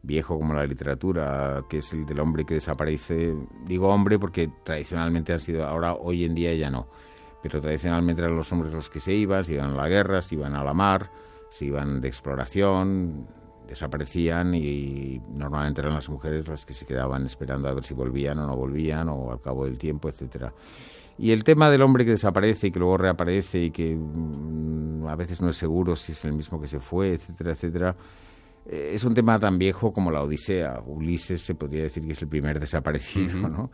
viejo como la literatura, que es el del hombre que desaparece. Digo hombre porque tradicionalmente han sido, ahora hoy en día ya no, pero tradicionalmente eran los hombres los que se iban, se iban a la guerra, se iban a la mar, se iban de exploración, desaparecían y normalmente eran las mujeres las que se quedaban esperando a ver si volvían o no volvían o al cabo del tiempo, etcétera. Y el tema del hombre que desaparece y que luego reaparece y que mmm, a veces no es seguro si es el mismo que se fue, etcétera, etcétera, eh, es un tema tan viejo como la Odisea. Ulises se podría decir que es el primer desaparecido, uh-huh. ¿no?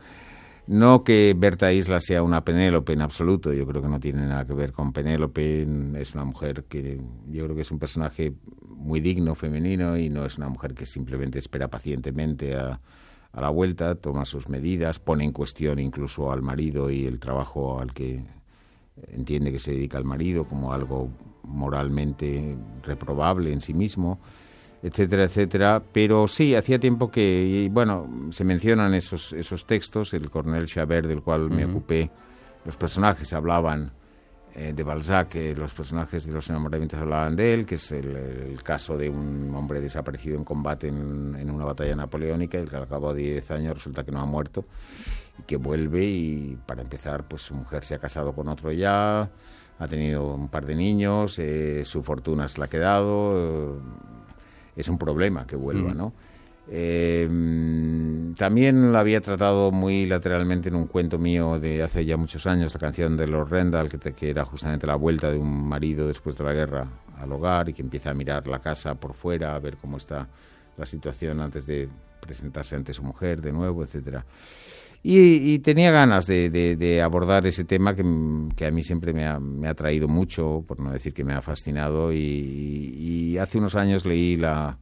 No que Berta Isla sea una Penélope en absoluto, yo creo que no tiene nada que ver con Penélope, es una mujer que yo creo que es un personaje muy digno, femenino, y no es una mujer que simplemente espera pacientemente a... a la vuelta, toma sus medidas, pone en cuestión incluso al marido y el trabajo al que entiende que se dedica el marido como algo moralmente reprobable en sí mismo, etcétera, etcétera. Pero sí, hacía tiempo que, y bueno, se mencionan esos, esos textos, el coronel Chabert, del cual uh-huh. me ocupé, los personajes hablaban eh, de Balzac, eh, los personajes de Los enamoramientos hablaban de él, que es el, el caso de un hombre desaparecido en combate en, en una batalla napoleónica, y que al cabo de diez años resulta que no ha muerto, y que vuelve y, para empezar, pues su mujer se ha casado con otro ya, ha tenido un par de niños, eh, su fortuna se la ha quedado, eh, es un problema que vuelva, mm. ¿no? Eh, también la había tratado muy lateralmente en un cuento mío de hace ya muchos años, la canción de Lord Rendell, que, te, que era justamente la vuelta de un marido después de la guerra al hogar y que empieza a mirar la casa por fuera, a ver cómo está la situación antes de presentarse ante su mujer de nuevo, etcétera. Y, y tenía ganas de, de, de abordar ese tema que, que a mí siempre me ha, me ha traído mucho, por no decir que me ha fascinado, y, y hace unos años leí la...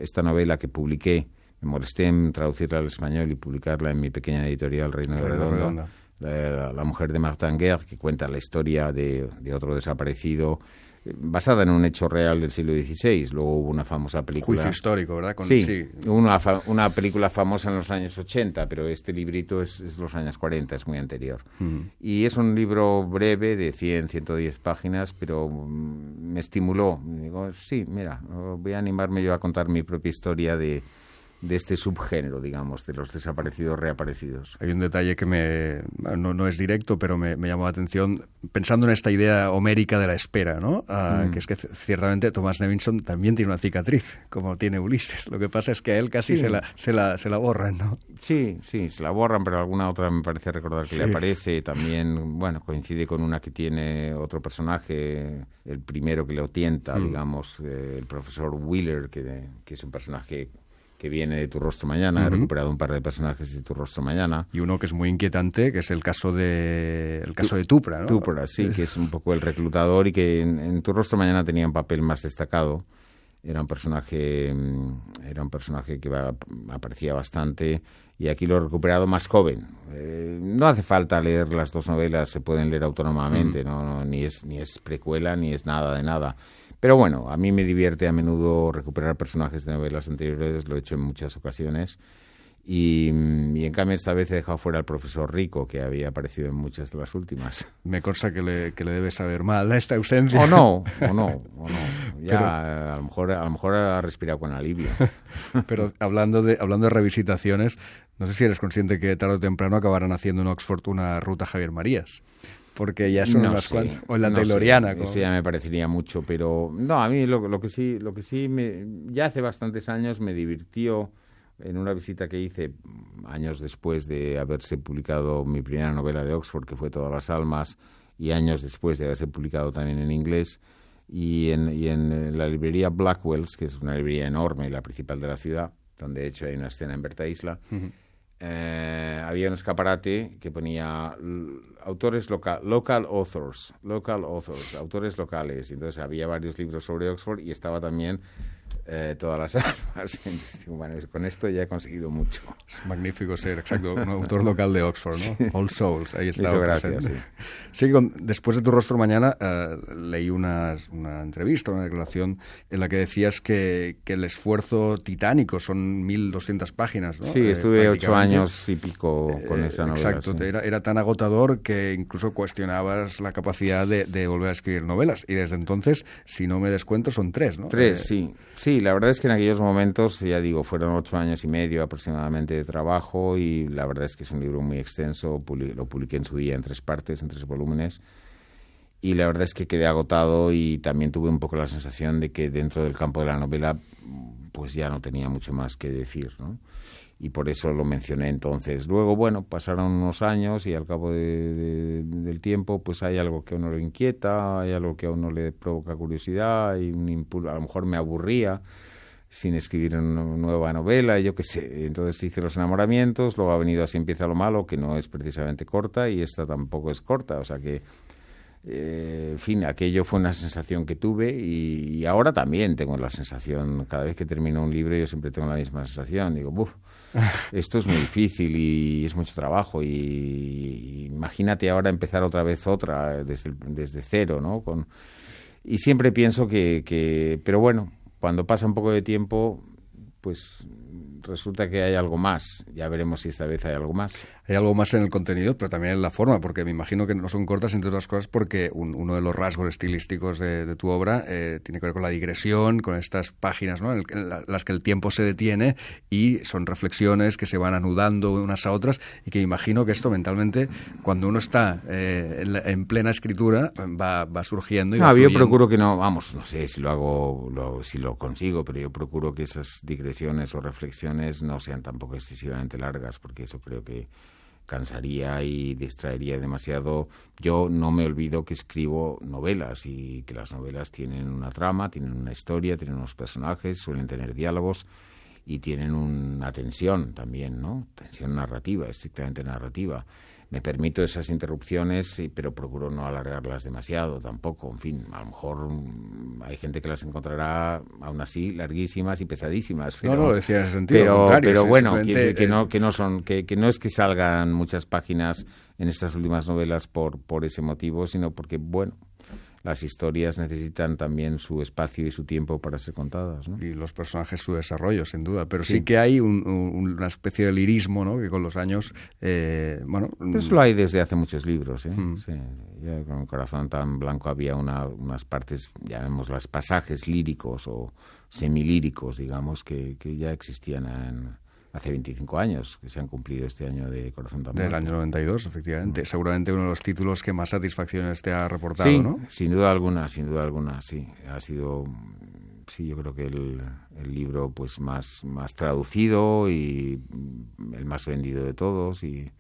esta novela que publiqué, me molesté en traducirla al español y publicarla en mi pequeña editorial Reino de Redonda, la, la mujer de Martin Guerre, que cuenta la historia de, de otro desaparecido, basada en un hecho real del siglo dieciséis. Luego hubo una famosa película... Juicio histórico, ¿verdad? Con, sí, sí. Una, fa, una película famosa en los años ochenta, pero este librito es, es los años cuarenta, es muy anterior. Uh-huh. Y es un libro breve de cien, ciento diez páginas, pero me estimuló. Digo, sí, mira, voy a animarme yo a contar mi propia historia de... de este subgénero, digamos, de los desaparecidos reaparecidos. Hay un detalle que me no, no es directo, pero me, me llamó la atención, pensando en esta idea homérica de la espera, ¿no? Uh, mm. Que es que ciertamente Thomas Nevinson también tiene una cicatriz, como tiene Ulises. Lo que pasa es que a él casi sí. se, la, se, la, se la borran, ¿no? Sí, sí, se la borran, pero alguna otra me parece recordar que sí. le aparece. También, bueno, coincide con una que tiene otro personaje, el primero que le tienta, mm. digamos, eh, el profesor Wheeler, que, que es un personaje... que viene de Tu rostro mañana, uh-huh. he recuperado un par de personajes de Tu rostro mañana. Y uno que es muy inquietante, que es el caso de el caso de Tupra, ¿no? Tupra, sí, es... que es un poco el reclutador y que en, en Tu rostro mañana tenía un papel más destacado. Era un personaje, era un personaje que va, aparecía bastante, y aquí lo he recuperado más joven. Eh, no hace falta leer las dos novelas, se pueden leer autónomamente, uh-huh. no, no, ni es ni es precuela ni es nada de nada. Pero bueno, a mí me divierte a menudo recuperar personajes de novelas anteriores, lo he hecho en muchas ocasiones. Y, y en cambio esta vez he dejado fuera al profesor Rico, que había aparecido en muchas de las últimas. Me consta que le, que le debe saber mal esta ausencia. O no, o no, o no. Ya Pero, a, lo mejor, a lo mejor ha respirado con alivio. Pero hablando de, hablando de revisitaciones, no sé si eres consciente que tarde o temprano acabarán haciendo en Oxford una ruta Javier Marías. Porque ya son no unas sé, cuantas, o en la no Tayloriana. Sé, como... Eso ya me parecería mucho, pero no, a mí lo, lo que sí, lo que sí me, ya hace bastantes años me divirtió en una visita que hice años después de haberse publicado mi primera novela de Oxford, que fue Todas las almas, y años después de haberse publicado también en inglés, y en, y en la librería Blackwell's, que es una librería enorme, la principal de la ciudad, donde de hecho hay una escena en Berta Isla. Uh-huh. eh, había un escaparate que ponía autores local, local authors, local authors, autores locales. Y entonces había varios libros sobre Oxford y estaba también eh, todas las armas. Entonces, bueno, con esto ya he conseguido mucho. Es magnífico ser, exacto, un autor local de Oxford, ¿no? Sí. All Souls, ahí está. Gracias, sí. Sí, con, después de Tu rostro mañana eh, leí una, una entrevista, una declaración en la que decías que, que el esfuerzo titánico son mil doscientas páginas, ¿no? Sí, estuve eh, ocho años y pico con eh, esa novela. Exacto, sí. era, era tan agotador que incluso cuestionabas la capacidad de, de volver a escribir novelas. Y desde entonces, si no me descuento, son tres, ¿no? Tres, eh, sí. Sí, la verdad es que en aquellos momentos, ya digo, fueron ocho años y medio aproximadamente de trabajo y la verdad es que es un libro muy extenso, lo publiqué en su día en tres partes, en tres volúmenes y la verdad es que quedé agotado y también tuve un poco la sensación de que dentro del campo de la novela pues ya no tenía mucho más que decir, ¿no? Y por eso lo mencioné entonces. Luego, bueno, pasaron unos años y al cabo de, de, del tiempo pues hay algo que a uno le inquieta, hay algo que a uno le provoca curiosidad, hay un impulso, a lo mejor me aburría sin escribir una nueva novela, yo qué sé. Entonces hice Los enamoramientos, luego ha venido Así empieza lo malo, que no es precisamente corta, y esta tampoco es corta, o sea que, eh, en fin, aquello fue una sensación que tuve y, y ahora también tengo la sensación, cada vez que termino un libro yo siempre tengo la misma sensación, digo, buf, esto es muy difícil y es mucho trabajo y, y imagínate ahora empezar otra vez otra desde, desde cero, ¿no? Con, y siempre pienso que, que, pero bueno, cuando pasa un poco de tiempo, pues resulta que hay algo más. Ya veremos si esta vez hay algo más. Hay algo más en el contenido, pero también en la forma, porque me imagino que no son cortas, entre otras cosas, porque un, uno de los rasgos estilísticos de, de tu obra eh, tiene que ver con la digresión, con estas páginas, ¿no?, en, el, en la, las que el tiempo se detiene y son reflexiones que se van anudando unas a otras y que imagino que esto mentalmente, cuando uno está eh, en, la, en plena escritura, va, va surgiendo. Y no, va yo procuro que no, vamos, no sé si lo hago, lo, si lo consigo, pero yo procuro que esas digresiones o reflexiones no sean tampoco excesivamente largas, porque eso creo que cansaría y distraería demasiado. Yo no me olvido que escribo novelas y que las novelas tienen una trama, tienen una historia, tienen unos personajes, suelen tener diálogos y tienen una tensión también, ¿no? Tensión narrativa, estrictamente narrativa. Me permito esas interrupciones, pero procuro no alargarlas demasiado tampoco. En fin, a lo mejor hay gente que las encontrará aún así larguísimas y pesadísimas. Pero, no, no, lo decía en ese sentido. Pero, contrario, pero sí, bueno, que, que, no, que, no son, que, que no es que salgan muchas páginas en estas últimas novelas por, por ese motivo, sino porque, bueno, las historias necesitan también su espacio y su tiempo para ser contadas, ¿no? Y los personajes su desarrollo, sin duda. Pero sí, sí que hay un, un, una especie de lirismo, ¿no?, que con los años, eh, bueno... Eso lo hay desde hace muchos libros, ¿eh? Mm. Sí. Ya con Corazón tan blanco había una, unas partes, llamémoslas pasajes líricos o semilíricos, digamos, que, que ya existían en... hace veinticinco años, que se han cumplido este año de Corazón tan Del blanco. año noventa y dos, efectivamente. Mm. Seguramente uno de los títulos que más satisfacciones te ha reportado, sí, ¿no? Sin duda alguna, sin duda alguna, sí. Ha sido, sí, yo creo que el, el libro pues más, más traducido y el más vendido de todos. Y,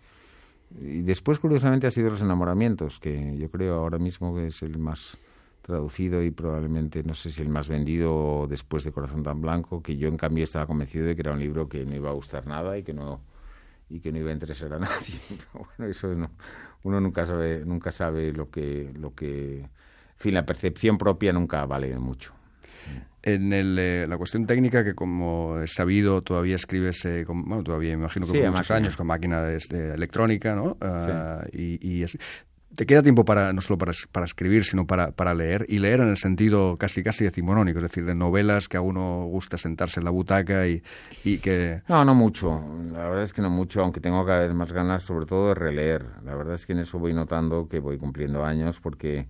y después, curiosamente, ha sido Los enamoramientos, que yo creo ahora mismo que es el más traducido y probablemente, no sé si el más vendido después de Corazón tan blanco, que yo en cambio estaba convencido de que era un libro que no iba a gustar nada y que no y que no iba a interesar a nadie. Pero bueno, eso no, uno nunca sabe nunca sabe lo que lo que en fin, la percepción propia nunca vale mucho. En el, eh, la cuestión técnica, que como es sabido, todavía escribes, eh, con, bueno, todavía imagino que sí, por muchos máquina. años con máquina de, de electrónica, ¿no? Uh, sí. Y, y es, ¿te queda tiempo para no solo para, para escribir, sino para, para leer? Y leer en el sentido casi casi decimonónico, es decir, de novelas que a uno gusta sentarse en la butaca y, y que... No, no mucho. La verdad es que no mucho, aunque tengo cada vez más ganas, sobre todo, de releer. La verdad es que en eso voy notando que voy cumpliendo años, porque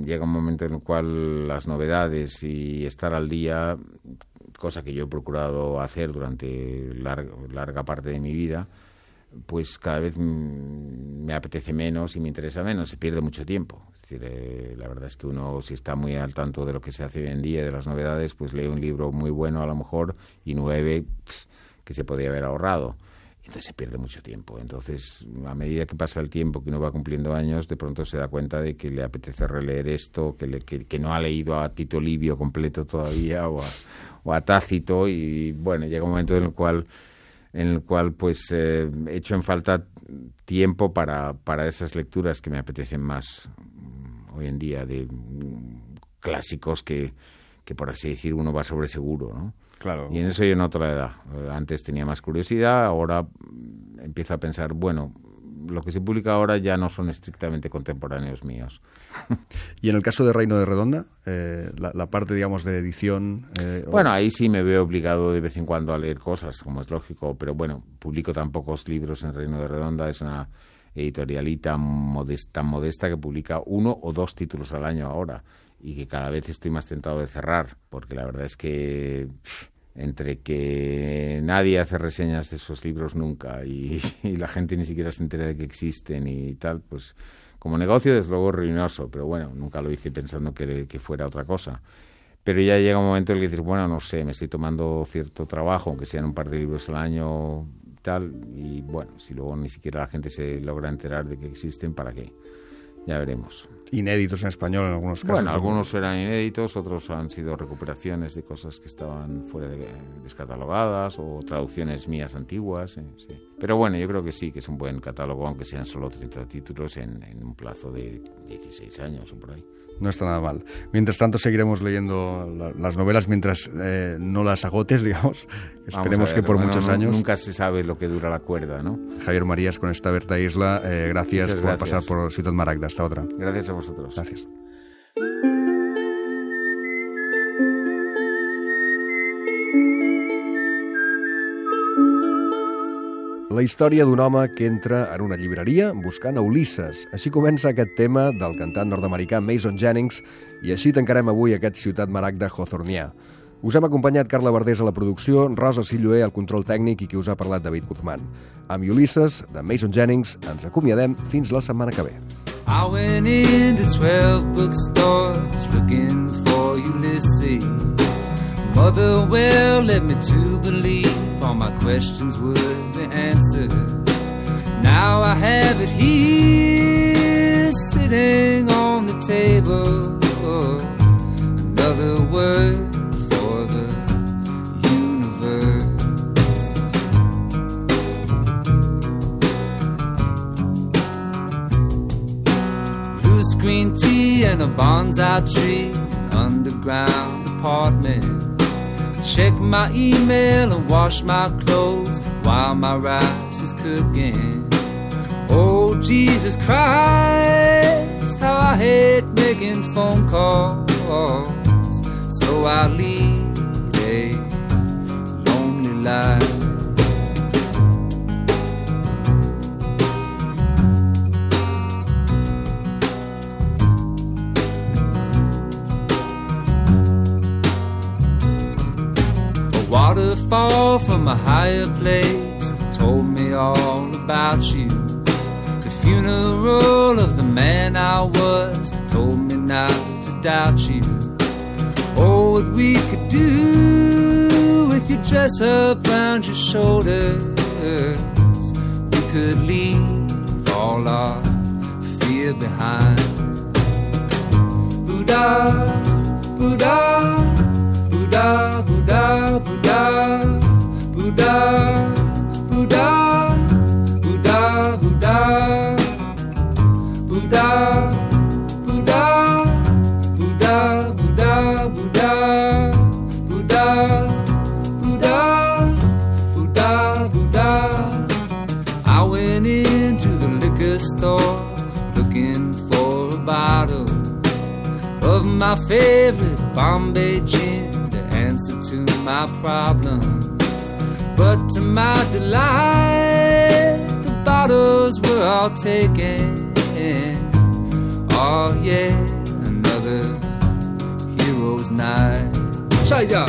llega un momento en el cual las novedades y estar al día, cosa que yo he procurado hacer durante larga, larga parte de mi vida, pues cada vez me apetece menos y me interesa menos, se pierde mucho tiempo. Es decir, eh, la verdad es que uno, si está muy al tanto de lo que se hace hoy en día, de las novedades, pues lee un libro muy bueno a lo mejor y nueve pss, que se podría haber ahorrado. Entonces se pierde mucho tiempo. Entonces, a medida que pasa el tiempo, que uno va cumpliendo años, de pronto se da cuenta de que le apetece releer esto, que, le, que, que no ha leído a Tito Livio completo todavía o a, o a Tácito, y bueno, llega un momento en el cual en el cual pues eh, he hecho en falta tiempo para, para esas lecturas que me apetecen más hoy en día, de clásicos que, que por así decir uno va sobre seguro, ¿no? Claro. Y en eso yo noto la edad. Antes tenía más curiosidad, ahora empiezo a pensar, bueno, lo que se publica ahora ya no son estrictamente contemporáneos míos. Y en el caso de Reino de Redonda, eh, la, la parte, digamos, de edición... Eh, bueno, ahí sí me veo obligado de vez en cuando a leer cosas, como es lógico, pero bueno, publico tan pocos libros en Reino de Redonda, es una editorialita modesta, modesta que publica uno o dos títulos al año ahora, y que cada vez estoy más tentado de cerrar, porque la verdad es que pff, entre que nadie hace reseñas de esos libros nunca y, y la gente ni siquiera se entera de que existen y tal, pues como negocio desde luego ruinoso, pero bueno, nunca lo hice pensando que, que fuera otra cosa. Pero ya llega un momento en el que dices, bueno, no sé, me estoy tomando cierto trabajo, aunque sean un par de libros al año tal, y bueno, si luego ni siquiera la gente se logra enterar de que existen, ¿para qué? Ya veremos. Inéditos en español en algunos casos. Bueno, algunos eran inéditos, otros han sido recuperaciones de cosas que estaban fuera de, descatalogadas o traducciones mías antiguas. Eh, sí. Pero bueno, yo creo que sí, que es un buen catálogo, aunque sean solo treinta títulos en, en un plazo de dieciséis años o por ahí. No está nada mal. Mientras tanto seguiremos leyendo la, las novelas mientras eh, no las agotes, digamos. Esperemos ver, que por bueno, muchos no, años. Nunca se sabe lo que dura la cuerda, ¿no? Javier Marías, con esta Berta Isla, eh, gracias Muchas por gracias. pasar por Ciutat Maragda. Hasta otra. Gracias a vosotros. Gracias. La història d'un home que entra en una llibreria buscant a Ulisses. Així comença aquest tema del cantant nord-americà Mason Jennings i així tancarem avui aquest Ciutat Maragda Hawthornià. Us hem acompanyat Carla Verdés a la producció, Rosa Silloé al control tècnic i qui us ha parlat David Guzmán. Amb Ulisses, de Mason Jennings, ens acomiadem fins la setmana que ve. I went into twelve bookstores looking for Ulysses. Mother well led me to believe all my questions would be answered. Now I have it here sitting on the table. Another word for the universe. Loose green tea and a bonsai tree, an underground apartment. Check my email and wash my clothes while my rice is cooking. Oh, Jesus Christ, how I hate making phone calls. So I lead a lonely life. Waterfall from a higher place told me all about you. The funeral of the man I was told me not to doubt you. Oh, what we could do with your dress up round your shoulders. We could leave all our fear behind. Buddha, Buddha, Buddha, Buddha, Buddha, Buddha, Buddha, Buddha, Buddha, Buddha, Buddha, Buddha, Buddha, Buddha, Buddha, Buddha, Buddha, Buddha. I went into the liquor store looking for a bottle of my favorite Bombay gin, answer to my problems. But to my delight, the bottles were all taken. Oh yeah, another hero's night. Shaya!